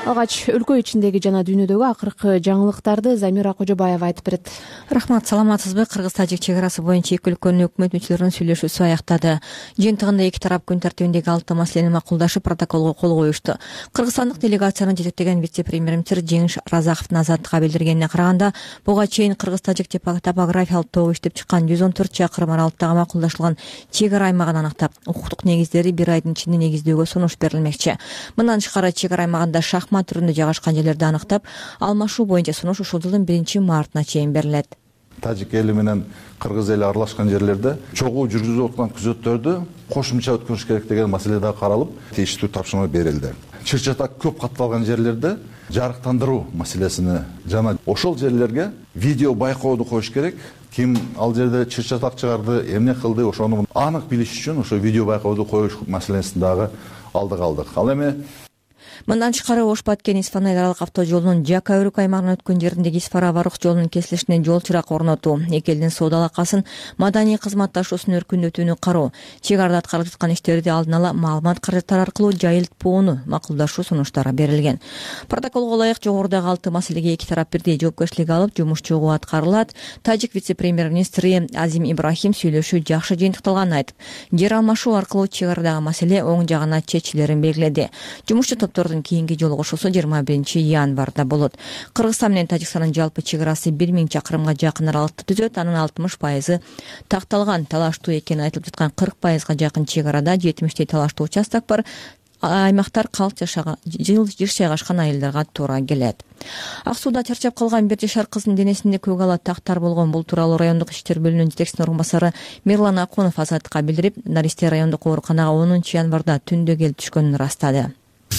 Алгач өлкө ичиндеги жана дүйнөдөгү акыркы жаңылыктарды Замира Кожобаева айтып берет. Рахмат, саламатсызбы? Кыргыз-тажик чек арасы боюнча эки өлкөнүн өкмөт мүчөлөрүнүн сүйлөшүүсү аяктады. Жыйынтыгында эки тарап күн тартибиндеги 6 маселени макулдашып, протоколго кол коюшту. Кыргызстандык делегацияны жетектеген вице-премьер-министр Жеңиш Разаковдун Азаттыкка билдиргенине караганда, буга чейин кыргыз-тажик топографиялык тобу иштеп чыккан 114 чакырым аралыктагы макулдашылган чек ара аймагын аныктап, укуктук негиздери бир айдын ичинде негиздөөгө сунуш берилмекчи. Мындан тышкары чек ара аймагында түрүндө жайгашкан жерлерди аныктап, алмашуу боюнча сунуш ушул жылдын 1-мартына чейин берилет. Тажик эли менен кыргыз эли аралашкан жерлерде чогуу жүргүзүлүп аткан күзөттөрдү кошумча өткөрүш керек деген маселе да каралып, тийиштүү тапшырма берилди. Чыр-чатак көп катталган жерлерде жарыктандыруу маселесини жана ошол жерлерге видео байкооду коюш керек. Ким ал жерде чыр-чатак чыгарды, эмне кылды, ошону анык билиш үчүн ошо видео байкооду коюш маселесин дагы алдык. Ал эми Мындан тышкары Ош-Баткен Исфана аралык автожолунун Жака-Өрүк аймагынан өткөн жериндеги Исфара-Барух жолунун кесилишине жол чырак орнотуу, эки элдин соода алакасын, маданий кызматташуусун өркүндөтүүнү кароо, чек арада аткарылып жаткан иштерди алдын ала маалымат каражаттары аркылуу жайылтпоону макулдашуу сунуштары берилген. Протоколго ылайык жогорудагы 6 маселеге эки тарап бирдей жоопкерчилик алып, жумуш чогуу аткарылат. Тажик вице-премьер-министри Азим Ибрахим сүйлөшүү жакшы жыйынтыкталганын айтып, жер алмашуу аркылуу чек арадагы маселе оң жагына чечилерин белгиледи. Жумушчу топтордун кийинки жолугушуусу 21-январда болот. Кыргызстан менен Тажикстандын жалпы чек арасы 1000 чакырымга жакын аралыкты түзөт. Анын 60% такталган. Талаштуу экени айтылып жаткан 40%га жакын чек арада 70 талаштуу участок бар. Аймактар калк жыш жайгашкан айылдарга туура келет. Ак сууда чарчап калган 1 жашар кыздын денесинде көк ала тактар болгон. Бул тууралуу райондук иштер бөлүмүнүн жетекчисинин орун басары Мирлан Акунов Азаттыкка билдирип, Наристе райондук ооруканага 10-январда түндө келип түшкөнүн ырастады.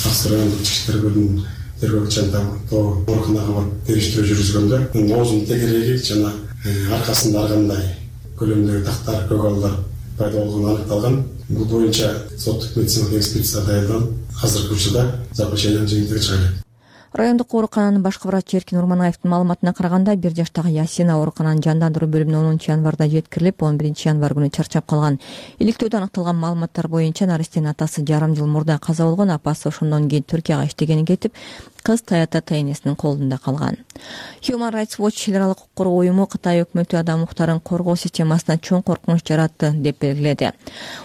Аксы райондук иштер бөлүмүнүн тергөөчү ооруканага барып териштирүү жүргүзгөндө оозунун тегереги жана аркасында ар кандай көлөмдөгү тактар, көк алалар пайда болгону аныкталган. Бул боюнча соттук медициналык экспертиза даярдалып, азыркы учурда заключениянын жыйынтыгы чыгат. Райондук оорукананын башкы врачы Эркин Урманаевдин маалыматына караганда, 1 жаштагы Ясина оорукананын жандандыруу бөлүмүнө 10-январда жеткирилип, 11-январ күнү чарчап калган. Иликтөөдө аныкталган маалыматтар боюнча Наристенин атасы жарым жыл мурда каза болгон, апасы ошондон кийин Түркияга иштегени кетип, кыз Таята Тайнесинин колунда калган. Human Rights Watch эл аралык укук коргоо уюму Кытай өкмөтү адам укуктарын коргоо системасына чоң коркунуч жаратты деп белгиледи.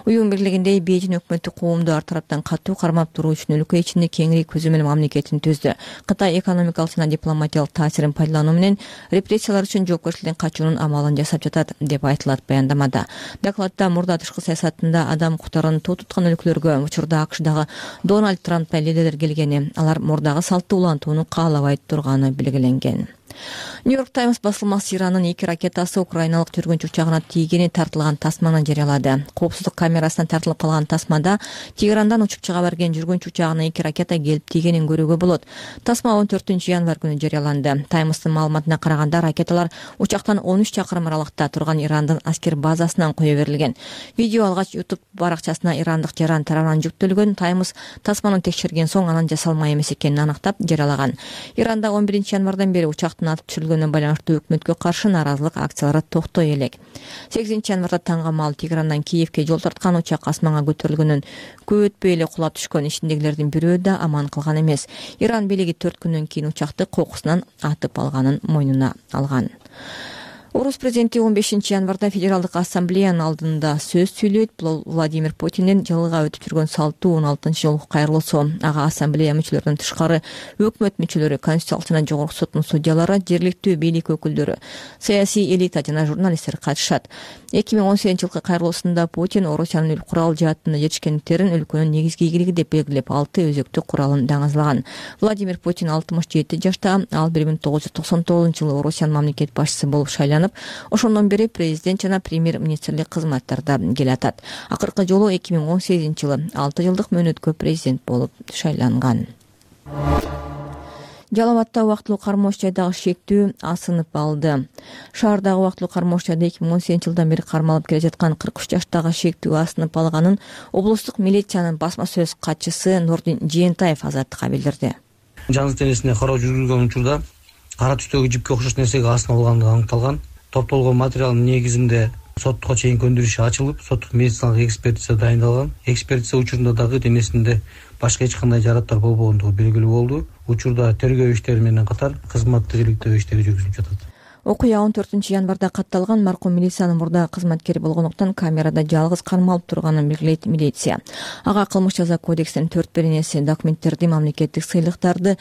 Уюм бирлигиндей Бейжин өкмөтү коомду ар тараптан катуу кармап туруу үчүн өлкө ичинде кеңири көзөмөл мамлекетин түздү. Кытай экономикалык жана дипломатиялык таасирин пайдалануу менен репрессиялар үчүн жоопкерчиликтен качуунун амалын жасап жатат деп айтылат баяндамада. Докладда мурда тышкы саясатында адам укуктарын тоо туткан өлкөлөргө учурда АКШдагы Дональд Трамп менен лидерлер келгени, алар мурдагы салтты улантууну каалабай турганы белгиленген. Нью-Йорк Таймс басылмасы Ирандын 2 ракетасы украиналык жүргүнчү учагына тийгени тартылган тасманы жарыялады. Коопсуздук камерасынан тартылып калган тасмада Тегерандан учуп чыга берген жүргүнчү учагына 2 ракета келип тийгенин көрүүгө болот. Тасма 14-январь күнү жарыяланды. Таймстын маалыматына караганда ракеталар учактан 13 чакырым аралыкта турган Ирандын аскер базасынан кое берилген. Видео алгач YouTube баракчасына ирандык жаран тарабынан жүктөлгөн. Таймс тасманы текшерген соң анын жасалма эмес экенин аныктап жарыялаган. Иранда 11-январдан бери учактын атып түшүрүлгөнүнө байланыштуу өкмөткө каршы нааразылык акциялары токтой элек. 8-январда таңга маал Тегерандан Киевке жол тарткан учак асманга көтөрүлгөнүн көп өтпөй эле кулап түшкөн. Ичиндегилердин бирөө да аман калган эмес. Иран бийлиги 4 күндөн кийин учакты кокусунан атып алганын мойнуна алган. Орус президенти 15-январда Федералдык ассамблеянын алдында сөз сүйлөйт. Владимир Путиндин жылга өтүп жүргөн салтуу 16-жолку кайрылуусу. Ага ассамблея мүчөлөрүнүн тышкары өкмөт мүчөлөрү, Конституция жана Жогорку соттун судьялары, жергиликтүү бийлик өкүлдөрү, саясий элита жана журналисттер катышат. 2018-жылкы кайрылуусунда Путин Орусиянын курал жааттын жетишкендиктерин өлкөнүн негизги ийгилиги деп белгилеп 6 өзөктүк куралын даңазлаган. Владимир Путин 67 жашта. Ал 1999-жылы Орусиянын мамлекет башчысы болуп шайланып, ошондон бери президент жана премьер-министрлик кызматтарда келатат. Акыркы жолу 2018-жылы 6 жылдык мөөнөткө президент болуп шайланган. Жалал Абадта убактылуу кармооч жайдагы шектүү асынып алды. Шаардагы убактылуу кармооч жайда 2018-жылдан бери кармалып келе жаткан 43 жаштагы шектүү асынып алганын облустук милициянын басма сөз катчысы Нурдин Жээнтаев Азаттыкка билдирди. Жансыз денесине кароо жүргүзгөн учурда кара түстөгү жипке окшош нерсеге асынып алгандыгы аныкталган. Топтолгон материалдын негизинде соттукка чейин көндүрүш ачылып, соттук медициналык экспертиза дайындалган. Экспертиза учурунда дагы денесинде башка эч кандай жараттар болбогондугу белгилүү болду. Учурда тергөө иштери менен катар кызматтык иликтөө иштери жүргүзүлүп жатат. Окуя 14-январда катталган. Маркум милициянын мурда кызматкери болгондуктан камерада жалгыз кармалып турганын белгилейт милиция. Ага кылмыш жаза кодексинин 4 документтерди, мамлекеттик сыйлыктарды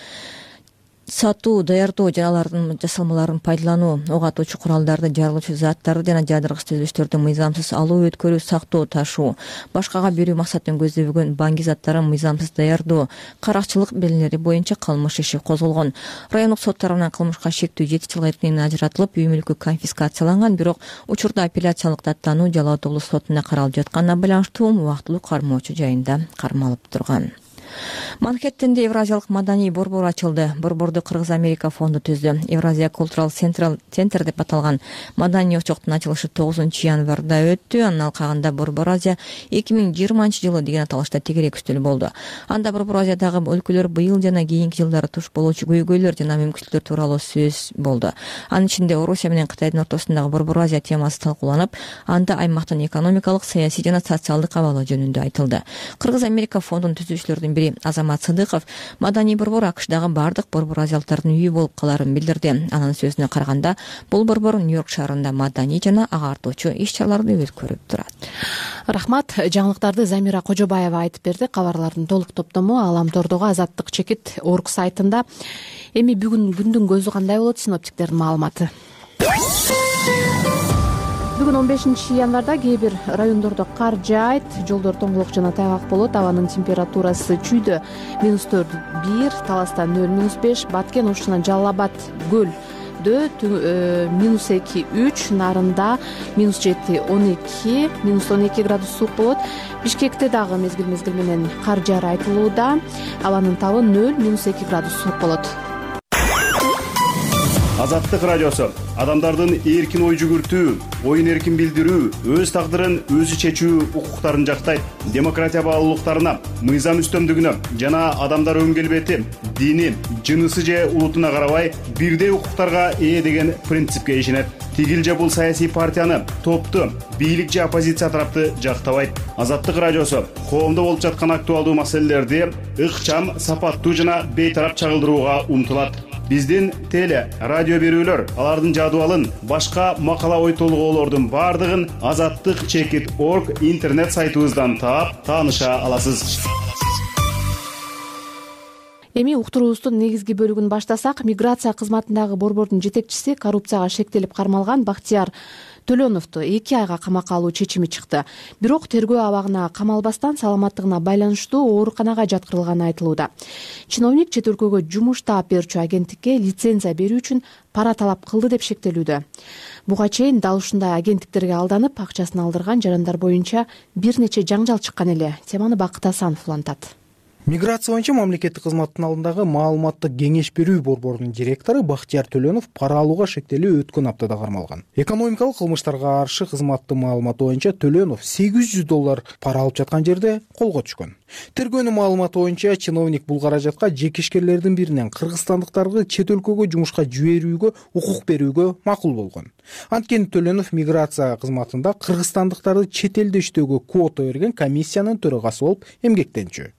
сатуу, даярдоо жана алардын жасалмаларын пайдалануу, ок атуучу куралдарды, жарылуучу заттарды жана жадыргыч түзүлүштөрдү мыйзамсыз алуу, өткөрүү, сактоо, ташуу, башкага берүү максатын көздөбөгөн баңги заттарын мыйзамсыз даярдоо, каракчылык белгилери боюнча кылмыш иши козголгон. Райондук сот тарабынан кылмышка шектүү 7 жылга эркинен ажыратылып, үй мүлкү конфискацияланган, бирок учурда апелляциялык даттануу Жалал Абад облустук сотунда каралып жатканына байланыштуу убактылуу кармоочу жайында кармалып турган. Манхэттенде Евразиялык маданий борбор ачылды. Борборду Кыргыз-Америка фонду түздү. Евразия Cultural Center деп аталган маданий очоктун ачылышы 9-январда өттү. Анын алкагында Борбор Азия 2020-жылы деген аталышта тегерек үстөл болду. Анда Борбор Азиядагы өлкөлөр быйыл жана кийинки жылдары туш болуучу көйгөйлөр жана мүмкүнчүлүктөр тууралуу сөз болду. Анын ичинде Орусия менен Кытайдын ортосундагы Борбор Азия темасы талкууланып, анда аймактын экономикалык, саясий жана социалдык абалы жөнүндө айтылды. Кыргыз-Америка фондунун түзүүчүлөрүнүн бири Азамат Сыдыков маданий борбор АКШдагы бардык борбор азиялыктардын үйү болуп каларын билдирди. Анын сөзүнө караганда, бул борбор Нью-Йорк шаарында маданий жана агартуучу иш-чараларды өткөрүп турат. Рахмат. Жаңылыктарды Замира Кожобаева айтып берди. Кабарлардын толук топтому Аламтордогу Азаттык чекит орг сайтында. Эми бүгүн күндүн көзү кандай болот? Синоптиктердин маалыматы. Бүгүн 15-январда кээ бир райондордо кар жаайт, жолдор тоңголок жана тайгак болот. Абанын температурасы чүйдө -4-1, Таласта 0-5, Баткен, Ош жана Жалал Абад көлдө -2-3, Нарында -7-12, -12 градус суук болот. Бишкекте дагы мезгил менен кар жаары айтылууда. Абанын табы 0-2 градус суук болот. Азаттык радиосу адамдардын эркин ой жүгүртүү, оюн эркин билдирүү, өз тагдырын өзү чечүү укуктарын жактайт. Демократия баалуулуктарына, мыйзам үстөмдүгүнө жана адамдар өн келбети, дини, жынысы же улутуна карабай бирдей укуктарга ээ деген принципке ишенет. Тигил же бул саясий партияны, топту, бийлик же оппозиция тарапты жактабайт. Азаттык радиосу коомдо болуп жаткан актуалдуу маселелерди ыкчам, сапаттуу жана бейтарап чагылдырууга умтулат. Биздин теле, радио берүүлөр, алардын жадыбалын, башка макала ой толгоолордун бардыгын Азаттык чекит орг интернет сайтыбыздан таап, тааныша аласыз. Эми уктуруубуздун негизги бөлүгүн баштасак, миграция кызматындагы борбордун жетекчиси коррупцияга шектелип кармалган Бактияр Төлөновду 2 айга камакка алуу чечими чыкты. Бирок тергөө абагына камалбастан саламаттыгына байланыштуу ооруканага жаткырылганы айтылууда. Чиновник чет өлкөгө жумуш таап берүүчү агенттикке лицензия берүү үчүн пара талап кылды деп шектелүүдө. Буга чейин дал ушундай агенттиктерге алданып, акчасын алдырган жарандар боюнча бир нече жаңжал чыккан эле. Теманы Бакыт Асанов улантат. Миграция боюнча мамлекеттик кызматтын алдындагы маалыматтык кеңеш берүү борборунун директору Бактияр Төлөнов пара алууга шектелүү өткөн аптада кармалган. Экономикалык кылмыштарга каршы кызматтын маалыматы боюнча Төлөнов $800 пара алып жаткан жерде колго түшкөн. Тергөөнүн маалыматы боюнча чиновник бул каражатка жекешкерлердин биринен кыргызстандыктарды чет өлкөгө жумушка жиберүүгө укук берүүгө макул болгон. Анткени Төлөнов миграция кызматында кыргызстандыктарды чет элде иштөөгө квота берген комиссиянын төрагасы болуп эмгектенчү.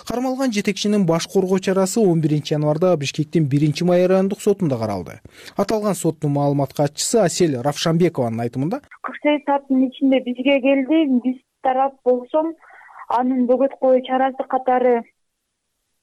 Кармалган жетекчинин баш коргоо чарасы 11 январда Бишкектин 1 май райондук сотунда каралды. Аталган соттун маалымат катчысы Асель Равшанбекованын айтымында 48 сааттын ичинде бизге келди. Биз тарап болсом анын бөгөт коюу чарасы катары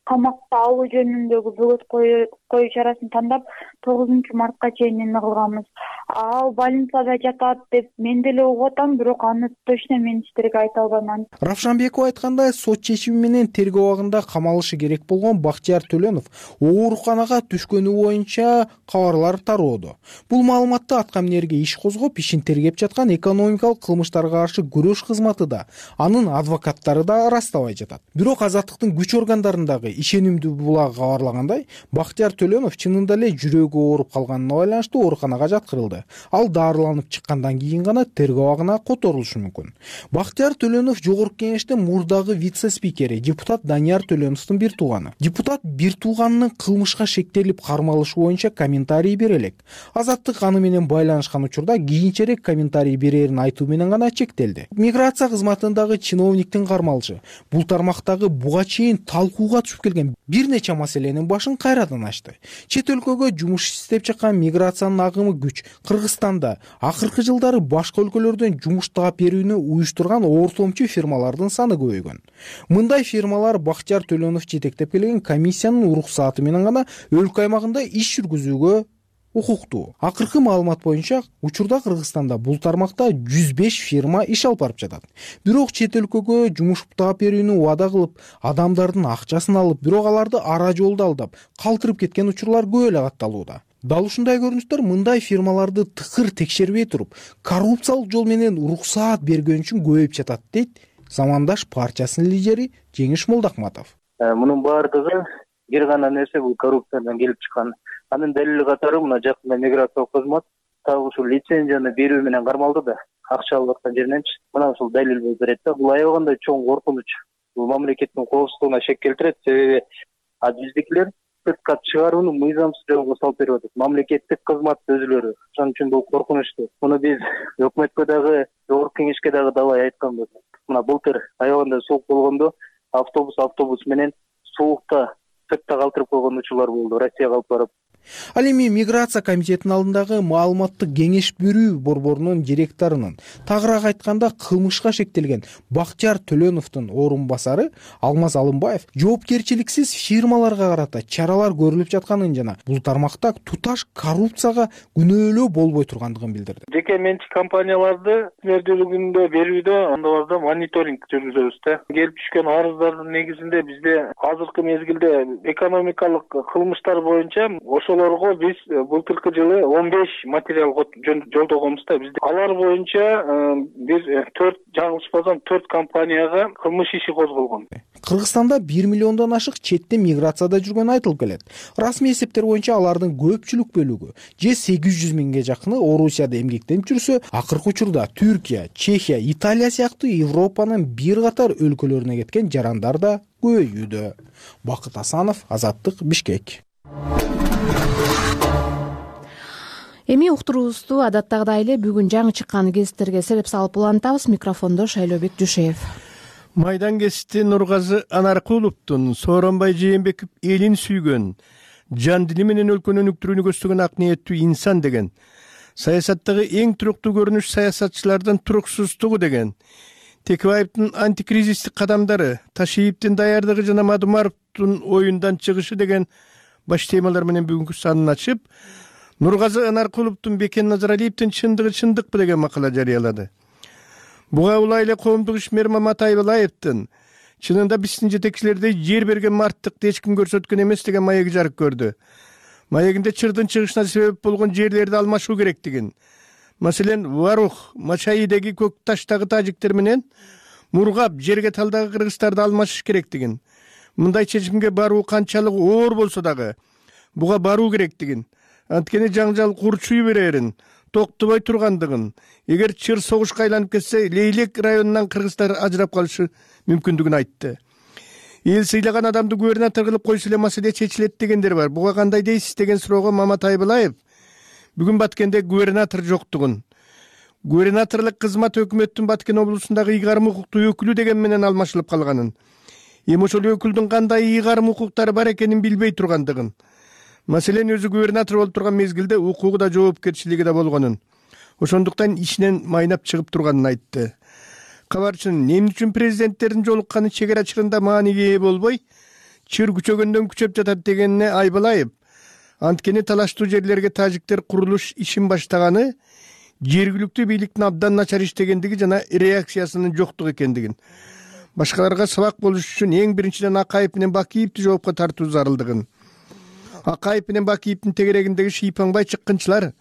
камакка алуу жөнүндөгү бөгөт коюу чарасын тандап 9 мартка чейин эме кылганбыз. Ал больницада жатат деп мен деле угуп атам, бирок аны точно мен сиздерге айта албайм. Равшанбекова айткандай, сот чечими менен тергөө абагында камалышы керек болгон Бактияр Төлөнов ооруканага түшкөнү боюнча кабарлар тароодо. Бул маалыматты аткаминерге иш козгоп, ишин тергеп жаткан экономикалык кылмыштарга каршы күрөш кызматы да, анын адвокаттары да ырастабай жатат. Бирок азаттыктын күч органдарындагы ишенимдүү булак кабарлагандай, Бактияр Төлөнов чынында эле жүрөгү ооруп калганына байланыштуу ооруканага жаткырылды. Ал дарыланып чыккандан кийин гана тергөө абагына которулушу мүмкүн. Бактияр Төлөнов жогорку кеңештин мурдагы вице-спикери, депутат Данияр Төлөновдун бир тууганы. Депутат бир тууганынын кылмышка шектелип кармалышы боюнча комментарий бере элек. Азаттык аны менен байланышкан учурда кийинчерээк комментарий берерин айтуу менен гана чектелди. Миграция кызматындагы чиновниктин кармалышы бул тармактагы буга чейин талкууга түшүп келген бир нече маселенин башын кайрадан ачты. Чет өлкөгө жумуш издеп чыккан миграциянын агымы күч. Кыргызстанда акыркы жылдары башка өлкөлөрдөн жумуш таап берүүнү уюштурган ортомчу фирмалардын саны көбөйгөн. Мындай фирмалар Бактияр Төлөнов жетектеп келген комиссиянын уруксааты менен гана өлкө аймагында иш жүргүзүүгө укуктуу. Акыркы маалымат боюнча учурда Кыргызстанда бул тармакта 105 фирма иш алып барып жатат. Бирок чет өлкөгө жумуш таап берүүнү убада кылып, адамдардын акчасын алып, бирок аларды ара жолдо алдап, калтырып кеткен учурлар көп эле катталууда. Дал ушундай көрүнүштөр мындай фирмаларды тыкыр текшербей туруп, коррупциялык жол менен уруксаат бергөн үчүн көбөйүп жатат, дейт Замандаш партиясынын лидери Жеңиш Молдахматов. Мунун баардыгы бир гана нерсе, бул коррупциядан келип чыккан. Анын далили катары мына жакында миграциялык кызмат так ушул лицензияны берүү менен кармалды да, акча алып аткан жериненчи. Мына ушул далил болуп берет да. Бул аябагандай чоң коркунуч. Бул мамлекеттин коопсуздугуна шек келтирет, себеби биздикилер сыртка чыгарууну мыйзамсыз жолго салып берип атат. Мамлекеттик кызмат өзүлөрү. Ошон үчүн бул коркунучтуу. Муну биз өкмөткө дагы, жогорку кеңешке дагы далай айтканбыз. Мына былтыр аябагандай суук болгондо автобус менен суукта сыртта калтырып койгон учурлар болду, Россияга алып барып. Ал эми миграция комитетинин алдындагы маалыматтык кеңеш берүү борборунун директорунун, тагыраак айтканда кылмышка шектелген Бактияр Төлөновдун орун басары Алмаз Алымбаев жоопкерчиликсиз фирмаларга карата чаралар көрүлүп жатканын жана бул тармакта туташ коррупцияга күнөөлөө болбой тургандыгын билдирди. Жеке менчик компанияларды өкмөттүүлүгүндө берүүдө андаларда мониторинг жүргүзөбүз да. Келип түшкөн арыздардын негизинде бизде азыркы мезгилде экономикалык кылмыштар боюнча ошолорго биз былтыркы жылы 15 материал жолдогонбуз да. Бизде алар боюнча бир 4 жаңылышпасам 4 компанияга кылмыш иши козголгон. Кыргызстанда 1 миллиондон ашык четте миграцияда жүргөнү айтылып келет. Расмий эсептер боюнча алардын көпчүлүк бөлүгү же 800 миңге жакыны Орусияда эмгектенип жүрсө, акыркы учурда Түркия, Чехия, Италия сыяктуу Европанын бир катар өлкөлөрүнө кеткен жарандар да көбөйүүдө. Бакыт Асанов, Азаттык, Бишкек. Эми уктуруубузду адаттагыдай эле бүгүн жаңы чыккан гезиттерге сереп салып улантабыз. Микрофондо Шайлообек Жушеев. Майдан гезити Нургазы Анаркуловдун Сооронбай Жээнбеков элин сүйгөн, жан дили менен өлкөнү өнүктүрүүнү көздөгөн ак ниеттүү инсан деген, саясаттагы эң туруктуу көрүнүш саясатчылардын туруксуздугу деген, Текебаевдин антикризистик кадамдары, Ташиевдин даярдыгы жана Мадумаровдун оюндан чыгышы деген баш темалар менен бүгүнкү санын ачып, Нургазы Анаркуловдун Бекен Назаралиевдин чындыгы чындыкпы деген макала жарыялады. Буга улай эле коомдук ишмер Мамат Айбалаевдин чынында биздин жетекчилердей жер берген марттыкты эч ким көрсөткөн эмес деген маеги жарык көрдү. Маегинде чырдын чыгышына себеп болгон жерлерди алмашуу керектигин, маселен Варух, Мачайидеги көк таштагы тажиктер менен Мургап, Жергеталдагы кыргыздарды алмашыш керектигин, мындай чечимге баруу канчалык оор болсо дагы буга баруу керектигин, анткени жаңжал курчуй берерин, токтобой тургандыгын, эгер чыр согушка айланып кетсе, Лейлек районунан кыргыздар ажырап калышы мүмкүндүгүн айтты. Эл сыйлаган адамды губернатор кылып койсо эле маселе чечилет дегендер бар. Буга кандай дейсиз деген суроого Мамат Айбалаев бүгүн Баткенде губернатор жоктугун, губернаторлук кызмат өкмөттүн Баткен облусундагы ыйгарым укуктуу өкүлү деген менен алмашылып калганын, эми ошол өкүлдүн кандай ыйгарым укуктары бар экенин билбей тургандыгын, маселен өзү губернатор болуп турган мезгилде укугу да жоопкерчилиги да болгонун, ошондуктан ишинен майнап чыгып турганын айтты. Кабарчынын эмне үчүн президенттердин жолукканы чек ара чырында мааниге ээ болбой, чыр күчөгөндөн күчөп жатат дегенине Айбалаев, анткени талаштуу жерлерге тажиктер курулуш ишин баштаганы жергиликтүү бийликтин абдан начар иштегендиги жана реакциясынын жоктугу экендигин, башкаларга сабак болуш үчүн эң биринчиден Акаев менен Бакиевди жоопко тартуу зарылдыгын, Акаев менен Бакиевдин тегерегиндеги шыйпаңбай чыккынчылар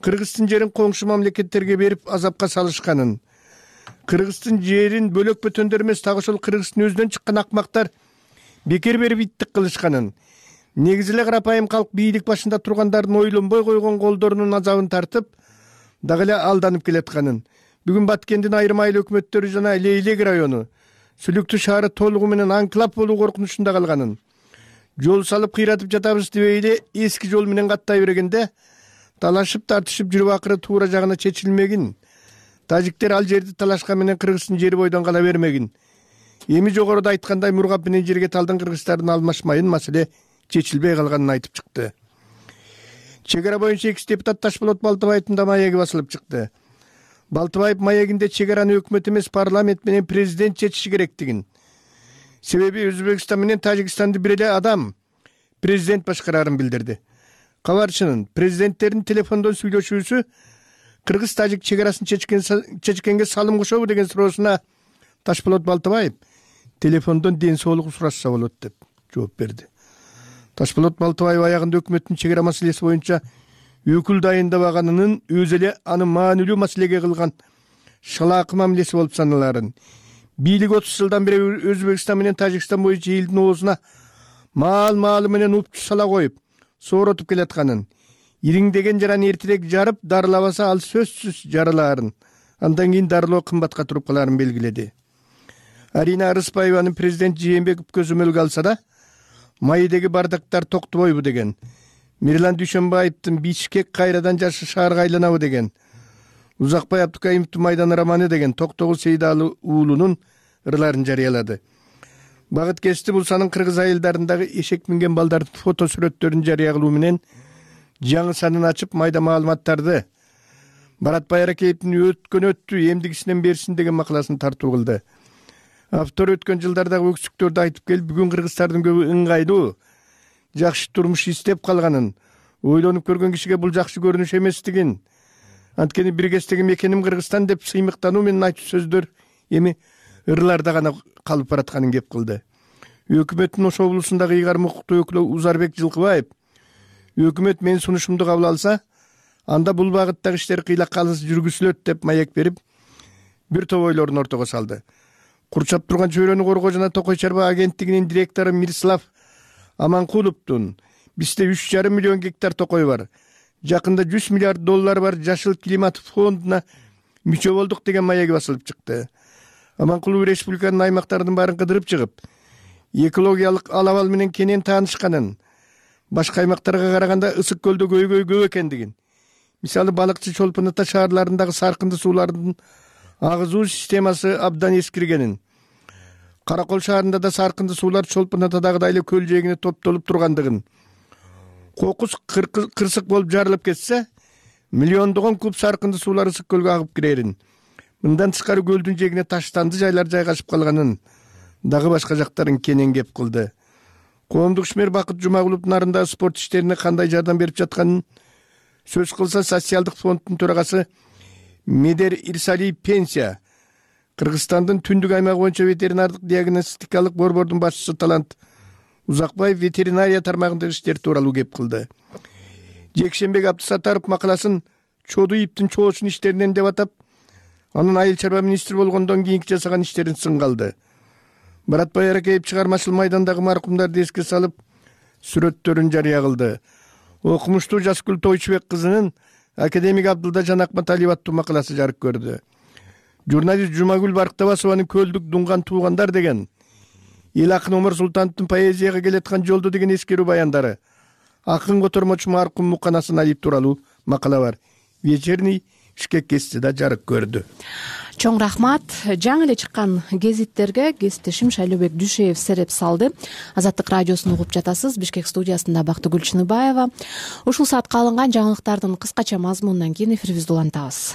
Кыргыздын жерин коңшу мамлекеттерге берип азапка салышканын, Кыргыздын жерин бөлөк бөтөндөр эмес, так ошол Кыргыздын өзүнөн чыккан акмактар бекер берип иттик кылышканын, негизи эле карапайым калк бийлик башында тургандардын ойлонбой койгон колдорунун азабын тартып, дагы эле алданып келатканын, бүгүн Баткендин айрым айыл өкмөттөрү жана Лейлек району, Сүлүктүү шаары толугу менен анклап болуу коркунучунда калганын, жол салып кыйратып жатабыз дебей эле эски жол менен каттай бергенде талашып тартышып жүрүп акыры туура жагына чечилмегин, тажиктер ал жерди талашкан менен Кыргыздын жери бойдон кала бермегин, эми жогоруда айткандай Мургап менен Жергеталдын кыргыздардын алмашмайын маселе чечилбей калганын айтып чыкты. Чек ара боюнча экс депутат Ташболот Балтыбаевдин да маеги басылып чыкты. Балтыбаев маегинде чек араны өкмөт эмес, парламент менен президент чечиши керектигин, себеби Өзбекстан менен Тажикстанды бир эле адам президент башкарарын билдирди. Кабарчынын президенттердин телефондон сүйлөшүүсү Кыргыз-Тажик чек арасын чечкенге салым кошобу деген суроосуна Ташболот Балтыбаев телефондон ден соолугу сурашса болот деп жооп берди. Ташболот Балтыбаев аягында өкмөттүн чек ара маселеси боюнча өкүл дайындабаганынын өзү эле аны маанилүү маселеге кылган шалаакы мамилеси болуп саналарын, бийлик 30 жылдан бери Өзбекстан менен Тажикстан боюнча элдин оозуна маал-маалы менен упчу сала коюп, сооротуп келатканын, ириңдеген жараны эртерээк жарып, дарылабаса ал сөзсүз жарылаарын, андан кийин дарылоо кымбатка туруп калаарын белгиледи. Арина Арыспаеванын президент Жээнбеков көзөмөлгө алса да, майдеги бардактар токтобойбу деген, Мирлан Дүйшөнбаевдин Бишкек кайрадан жашы шаарга айланабы деген, Узакбай Абдукаимовдун Майдан романы деген Токтогул Сейдалы уулунун ырларын жарыялады. Багыт Кести Булсанын кыргыз айылдарындагы эшек минген балдардын фото сүрөттөрүн жарыя кылуу менен жаңы санын ачып, майда маалыматтарды Барат Байракеевдин өттү, эмдигисинен берсин деген макаласын тартуу кылды. Автор өткөн жылдардагы өксүктөрдү айтып келип, бүгүн кыргыздардын көбү ыңгайлуу, жакшы турмуш издеп калганын, ойлонуп көргөн кишиге бул жакшы көрүнүш эместигин, анткени биргестеги мекеним Кыргызстан деп сыймыктануу менен айтуу сөздөр эми ырларда гана калып баратканын кеп кылды. Өкмөттүн Ош облусундагы ыйгарым укуктуу өкүлү Узарбек Жылкыбаев, өкмөт менин сунушумду кабыл алса, анда бул багыттагы иштер кыйлакка алыс жүргүзүлөт деп маек берип, бир топ ойлорун ортого салды. Курчап турган чөйрөнү коргоо жана Токой чарба агенттигинин директору Мирслав Аманкуловдун бизде 3,5 миллион гектар токой бар, жакында $100 миллиард бар жашыл климат фондуна мүчө болдук деген маеги басылып чыкты. Аманкулов республиканын аймактарынын баарын кыдырып чыгып, экологиялык алабал менен кенен таанышканын, башка аймактарга караганда ысык көлдө көйгөй көп экендигин, мисалы Балыкчы Чолпон Ата шаарларындагы саркынды суулардын агызуу системасы абдан эскиргенин, Каракол шаарында да саркынды суулар Чолпон Атадагыдай эле көл жээгине топтолуп тургандыгын, кокус кырсык болуп жарылып кетсе, миллиондогон куб саркынды суулар ысык көлгө агып кирерин, мындан тышкары көлдүн жээгине таштанды жайлар жайгашып калганын, дагы башка жактарын кенен кеп кылды. Коомдук ишмер Бакыт Жумагуловдун арындагы спорт иштерине кандай жардам берип жатканын Сөз кылса социалдык фонддун төрагасы Медер Ирсалиев пенсия, Кыргызстандын түндүк аймагы боюнча ветеринардык диагностикалык борбордун башчысы Талант Узакбаев ветеринария тармагындагы иштер тууралуу кеп кылды. Жекшембек Абдысаттаров макаласын чоду иптин чоосун иштеринен деп атап, анын айыл чарба министри болгондон кийинки жасаган иштерин сынга алды. Баратбай Аракеев чыгармачыл майдандагы маркумдарды эске салып, сүрөттөрүн жарыя кылды. Окумуштуу Жаскүл Тойчубек кызынын академик Абдылда Жанакматалиев аттуу макаласы жарык көрдү. Журналист Жумагүл Барктабасованын Көлдүк дунган туугандар деген, эл акын Омар Султановдун поэзияга келаткан жолдо деген эскерүү баяндары, акын котормочу маркум Мукан Асаналиев тууралуу макала бар. Вечерний Бишкек гезити да жарык көрдү. Чоң рахмат. Жаңы эле чыккан гезиттерге кесиптешим Шайлообек Дүйшеев сереп салды. Азаттык радиосун угуп жатасыз. Бишкек студиясында Бактыгүл Чыныбаева. Ушул саатка алынган жаңылыктардын кыскача мазмунунан кийин эфирибизди улантабыз.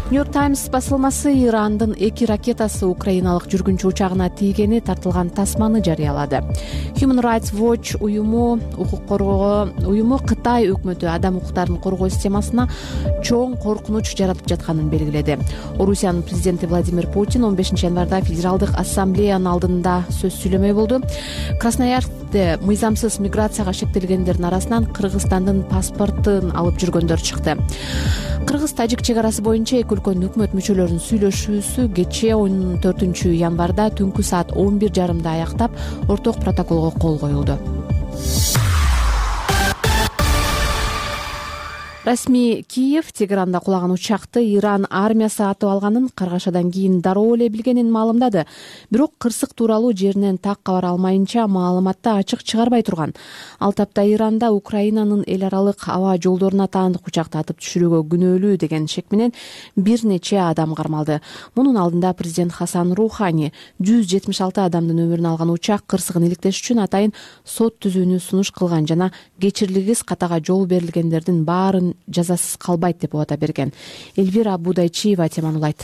Нью-Йорк Таймс басылмасы Ирандын 2 ракетасы украиналык жүргүнчү учагына тийгени тартылган тасманы жарыялады. Human Rights Watch уюму Кытай өкмөтү адам укуктарын коргоо системасына чоң коркунуч жаратып жатканын белгиледи. Орусиянын президенти Владимир Путин 15 январда Федералдык ассамблеянын алдында сөз сүйлөмөй болду. Красноярскте мыйзамсыз миграцияга шектелгендердин арасынан Кыргызстандын паспортун алып жүргөндөр чыкты. Кыргыз-Тажик чек арасы боюнча эки өлкөнүн өкмөт мүчөлөрүнүн сүйлөшүүсү кечээ 14 январда түнкү саат 11:30 аяктап, орток протоколго кол коюлду. Расмий Киев Тегеранда кулаган учакты Иран армиясы атып алганын каргашадан кийин дароо эле билгенин маалымдады. Бирок кырсык тууралуу жеринен так кабар алмайынча маалыматты ачык чыгарбай турган. Ал тапта Иранда Украинанын эл аралык аба жолдоруна таандык учакты атып түшүрүүгө күнөөлүү деген шек менен бир нече адам кармалды. Мунун алдында президент Хасан Рухани 176 адамдын өмүрүн алган учак кырсыгын иликтеш үчүн атайын сот түзүүнү сунуш кылган жана кечирилгис катага жол берилгендердин баарын жазасыз калбайт деп убада берген. Эльвира Будайчиева теманы улайт.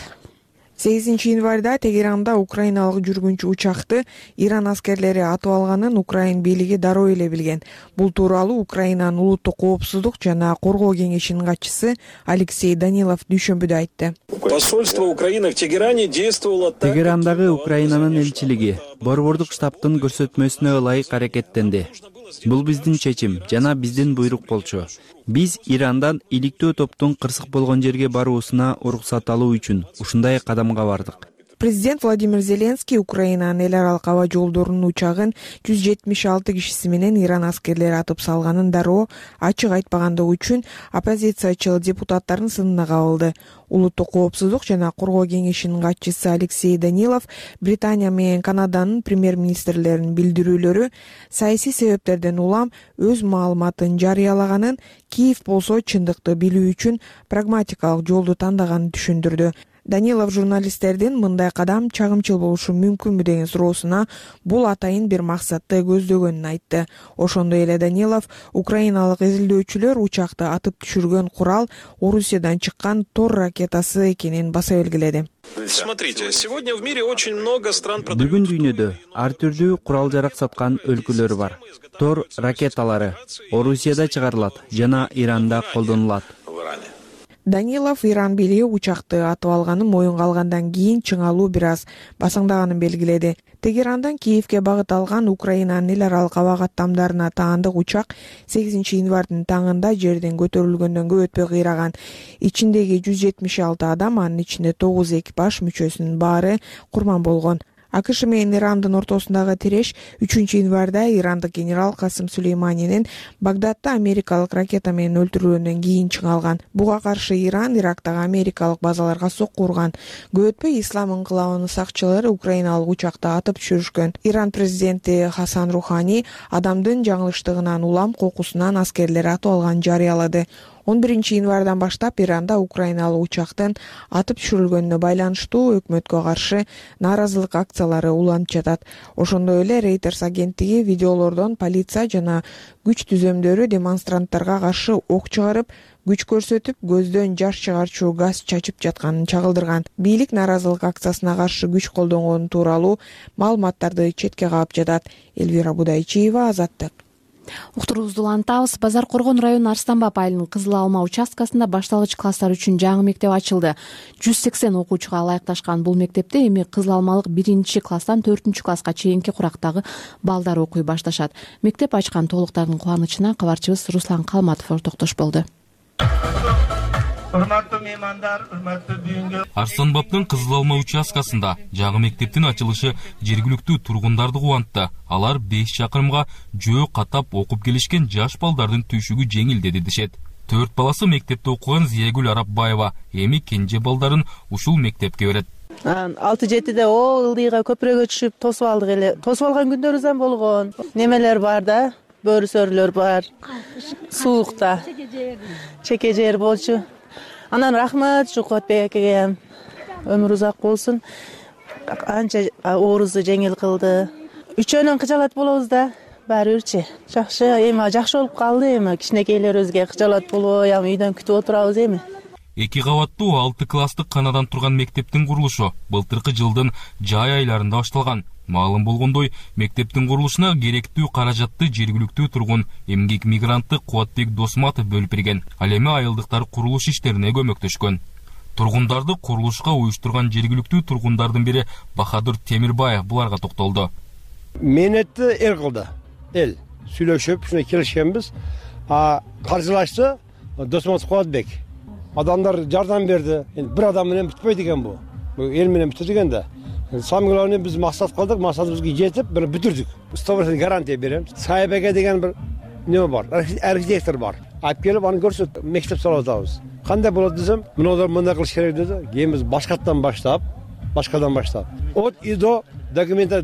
8 январда Тегеранда украиналык жүргүнчү учакты Иран аскерлери атып алганын Украин бийлиги дароо эле билген. Бул тууралуу Украинанын улуттук коопсуздук жана коргоо кеңешинин катчысы Алексей Данилов дүйшөмбүдө айтты. Посольство Украины в Тегеране действовало так. Тегерандагы Украинанын элчилиги борбордук штабтын көрсөтмөсүнө ылайык аракеттенди. Бул биздин чечим жана биздин буйрук болчу. Биз Ирандан иликтөө топтун кырсык болгон жерге баруусуна уруксат алуу үчүн ушундай кадамга бардык. Президент Владимир Зеленский Украинанын эл аралык аба жолдорунун учагын 176 кишиси менен Иран аскерлери атып салганын дароо ачык айтпагандыгы үчүн оппозициячыл депутаттардын сынына кабылды. Улуттук коопсуздук жана коргоо кеңешинин катчысы Алексей Данилов Британия менен Канаданын премьер-министрлеринин билдирүүлөрү саясий себептерден улам өз маалыматын жарыялаганын, Киев болсо чындыкты билүү үчүн прагматикалык жолду тандаганын түшүндүрдү. Данилов журналисттердин мындай кадам чагымчыл болушу мүмкүнбү деген суроосуна бул атайын бир максатты көздөгөнүн айтты. Ошондой эле Данилов украиналык изилдөөчүлөр учакты атып түшүргөн курал Орусиядан чыккан Тор ракетасы экенин баса белгиледи. Смотрите, сегодня в мире очень много стран Бүгүн дүйнөдө ар түрдүү курал-жарак саткан өлкөлөр бар. Тор ракеталары Орусияда чыгарылат жана Иранда колдонулат. Данилов Иран бийлиги учакты атып алганын моюнга алгандан кийин чыңалуу бир аз басаңдаганын белгиледи. Тегерандан Киевке багыт алган Украинанын эл аралык аба каттамдарына таандык учак 8 январдын таңында жерден көтөрүлгөндөн көп өтпөй кыйраган. Ичиндеги 176 адам, анын ичинде 9 экипаж мүчөсүнүн баары курман болгон. АКШ менен Ирандын ортосундагы тиреш 3 январда ирандык генерал Касым Сулейманинин Багдадда америкалык ракета менен өлтүрүлгөндөн кийин чыңалган. Буга каршы Иран Ирактагы америкалык базаларга сокку урган. Көп өтпөй Ислам ыңкылабынын сакчылары украиналык учакты атып түшүрүшкөн. Иран президенти Хасан Рухани адамдын жаңылыштыгынан улам кокусунан аскерлер атып алганын жарыялады. 11 январдан баштап Иранда украиналык учактын атып түшүрүлгөнүнө байланыштуу өкмөткө каршы нааразылык акциялары уланып жатат. Ошондой эле Reuters агенттиги видеолордон полиция жана күч түзөмдөрү демонстранттарга каршы ок чыгарып, күч көрсөтүп, көздөн жаш чыгарчу газ чачып жатканын чагылдырган. Бийлик нааразылык акциясына каршы күч колдонгон тууралуу маалыматтарды четке каап жатат. Эльвира Будайчиева, Азаттык. Уктуруубузду улантабыз. Базар Коргон району Арстанбап айылынын Кызыл Алма участкасында башталгыч класстар үчүн жаңы мектеп ачылды. 180 окуучуга ылайыкташкан бул мектепте эми Кызыл Алмалык 1-класстан 4-класска чейинки курактагы балдар окуй башташат. Мектеп ачкан тоолуктардын кубанычына кабарчыбыз Руслан Калматов токтош болду. Урматтуу меймандар, урматтуу бүгүнкү Арстанбаптын Кызыл Алма участкасында жаңы мектептин ачылышы жергиликтүү тургундарды кубантты. Алар 5 чакырымга жөө катап окуп келишкен жаш балдардын түйшүгү жеңилдеди дешет. 4 баласы мектепте окуган Зиягүл Арапбаева эми кенже балдарын ушул мектепке берет. 6-7-де ылдыйга көпүрөгө түшүп тосуп алдык эле. Тосуп алган күндөрүбүз да болгон. Немелер бар да, бөрүсөрлөр бар. Суукта. Чеке жер болчу. Анан рахмат Жукотбек акеге. Өмүр узак болсун. Анча оорузду жеңил кылды. Үчөөнөн кыжалат болобуз да. Баары бирчи. Жакшы, эми жакшы болуп калды эми. Кичинекейлерибизге кыжалат болбой, үйдөн күтүп отурабыз эми. 2 кабаттуу 6 класстык канадан турган мектептин курулушу былтыркы жылдын жай айларында башталган. Маалым болгондой, мектептин курулушуна керектүү каражатты жергиликтүү тургун эмгек мигранты Кубатбек Досматов бөлүп берген. Ал эми айылдыктар курулуш иштерине көмөктөшкөн. Тургундарды курулушка уюштурган жергиликтүү тургундардын бири Бахадыр Темирбаев буларга токтолду. Менетти эл кылды. Эл сүйлөшүп, ушуна келишкенбиз. Каржылашты Досматов Кубатбек. Адамдар жардам берди. Бир адам менен бүтпөйт экен бу. Бул эл менен бүтөт экен да. Самый главный биз максат кылдык, максатыбызга жетип, бир бүтүрдүк. 100% гарантия берем. Сайбеге деген бир неме бар, архитектор бар. Алып келип аны көрсөт, мектеп салып атабыз. Кандай болот десем, мындай мындай кылыш керек деди. Кийин биз башкадан баштап. От и до документа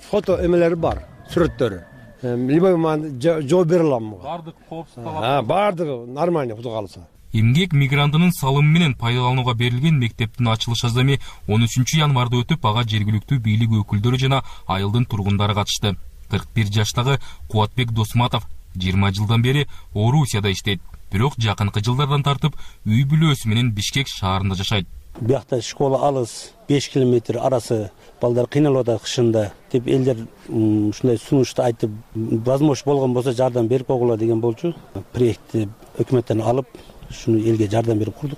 фото эмелери бар, сүрөттөрү. Любой ман жооп бере алам. Бардык коопсуз бардыгы нормально куду калса. Эмгек мигрантынын салымы менен пайдаланууга берилген мектептин ачылыш азами 13 январда өтүп, ага жергиликтүү бийлик өкүлдөрү жана айылдын тургундары катышты. 41 жаштагы Кубатбек Досматов 20 жылдан бери Орусияда иштейт. Бирок жакынкы жылдардан тартып үй бүлөсү менен Бишкек шаарында жашайт. Биякта школа алыс, 5 километр арасы, балдар кыйналып атат кышында деп элдер ушундай сунушту айтып, возможность болгон болсо жардам берип койгула деген болчу. Проектти өкмөттөн алып, шуну элге жардам берип курдук.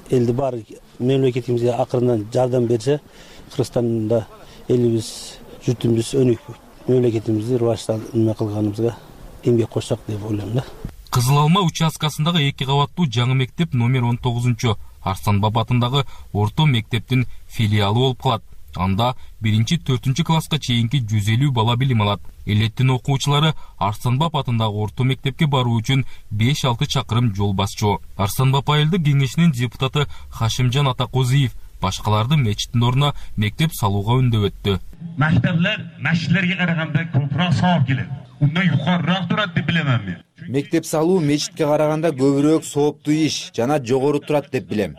Элди баары мемлекетибизге акырындан жардам берсе, Кыргызстанда элибиз, журтубуз өнүк, мемлекетибизди рываждана кылганыбызга эмгек кошсок деп ойлойм да. Кызыл Алма участкасындагы 2 кабаттуу жаңы мектеп номер 19 Арстанбап атындагы орто мектептин филиалы болуп калат. Анда 1-4 класска чейинки 150 бала билим алат. Элеттин окуучулары Арстанбап атындагы орто мектепке баруу үчүн 5-6 чакырым жол басчу. Арстанбап айылдык кеңешинин депутаты Хашимжан Атакозиев башкаларды мечиттин ордуна мектеп салууга үндөп өттү. Мектептер мешиттерге караганда көбүрөөк сооп келет. Ундан юкарыраак турат деп билем мен. Мектеп салуу мечитке караганда көбүрөөк сооптуу иш жана жогору турат деп билем.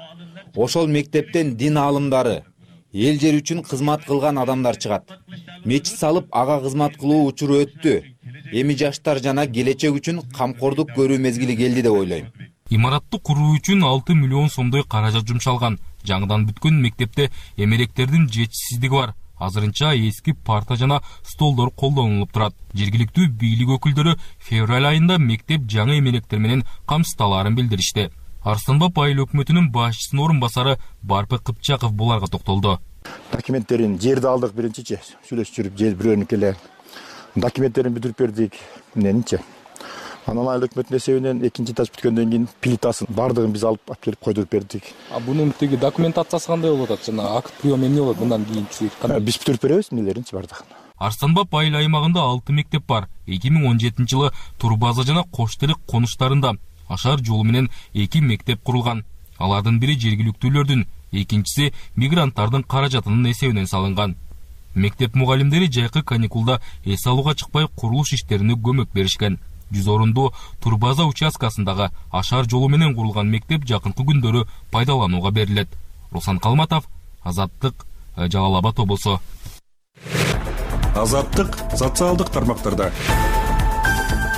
Ошол мектептен дин аалымдары, эл жер үчүн кызмат кылган адамдар чыгат. Мечит салып ага кызмат кылуу учуру өттү. Эми жаштар жана келечек үчүн камкордук көрүү мезгили келди деп ойлойм. Имаратты куруу үчүн 6 миллион сомдой каражат жумшалган. Жаңыдан бүткөн мектепте эмеректердин жетишсиздиги бар. Азырынча эски парта жана столдор колдонулуп турат. Жергиликтүү бийлик өкүлдөрү февраль айында мектеп жаңы эмеректер менен камсыздалаарын билдиришти. Арстанбап айыл өкмөтүнүн башчысынын орун басары Барпы Кыпчаков буларга токтолду. Документтерин жерди алдык биринчичи, сүйлөшүп жүрүп жер бирөөнүкү эле. Документтерин бүтүрүп бердик. Менинчи. Анан айыл өкмөтүнүн эсебинен экинчи этаж бүткөндөн кийин плитасын бардыгын биз алып келип койдук бердик. Бунун тиги документациясы кандай болуп атат? Жана акт прием эмне болот мындан кийинчи? Биз бүтүрүп беребиз эмнелеринчи бардыгын. Арстанбап айыл аймагында 6 мектеп бар. 2017 жылы Турбаза жана Коштелик конуштарында ашар жолу менен 2 мектеп курулган. Алардын бири жергиликтүүлөрдүн, экинчиси мигранттардын каражатынын эсебинен салынган. Мектеп мугалимдери жайкы каникулда эс алууга чыкпай курулуш иштерине көмөк беришкен. 100 орундуу Турбаза участкасындагы ашар жолу менен курулган мектеп жакынкы күндөрү пайдаланууга берилет. Руслан Калматов, Азаттык, Жалал Абад облусу. Азаттык социалдык тармактарда.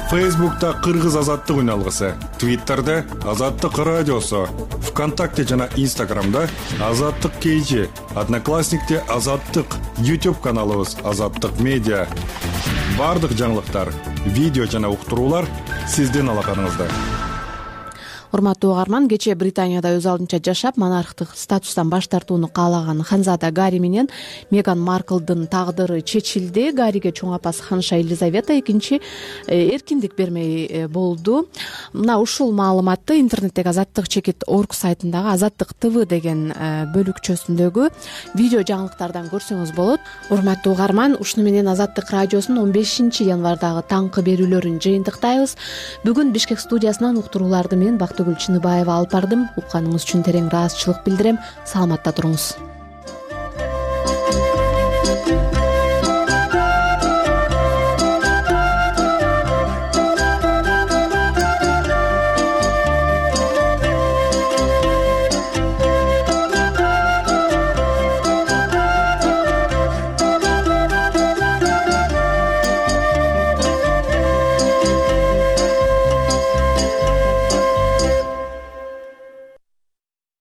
Фейсбукта Кыргыз азаттык үналгысы, Твиттерде Азаттык радиосу, ВКонтакте жана Инстаграмда Азаттык KG, Одноклассникте Азаттык, YouTube каналыбыз Азаттык медиа. баардык жаңылыктар, видео жана уктуруулар сиздин алаканыңызда. Урматтуу угарман, кечээ Британияда өз алдынча жашап, монархтык статустан баш тартууну каалаган ханзада Гарри менен Меган Марклдын тагдыры чечилди. Гарриге чоң апасы ханша Елизавета экинчи эркиндик бермей болду. Мына ушул маалыматты интернеттеги azattik.org сайтындагы Азаттык ТВ деген бөлүкчөсүндөгү видео жаңылыктардан көрсөңүз болот. Урматтуу угарман, ушуну менен Азаттык радиосунун 15 январдагы таңкы берүүлөрүн жыйынтыктайбыз. Бүгүн Бишкек студиясынан уктурууларды мен Бактыгүл Чыныбаева алып бардым. Укканыңыз үчүн терең ыраазычылык билдирем. Саламатта туруңуз.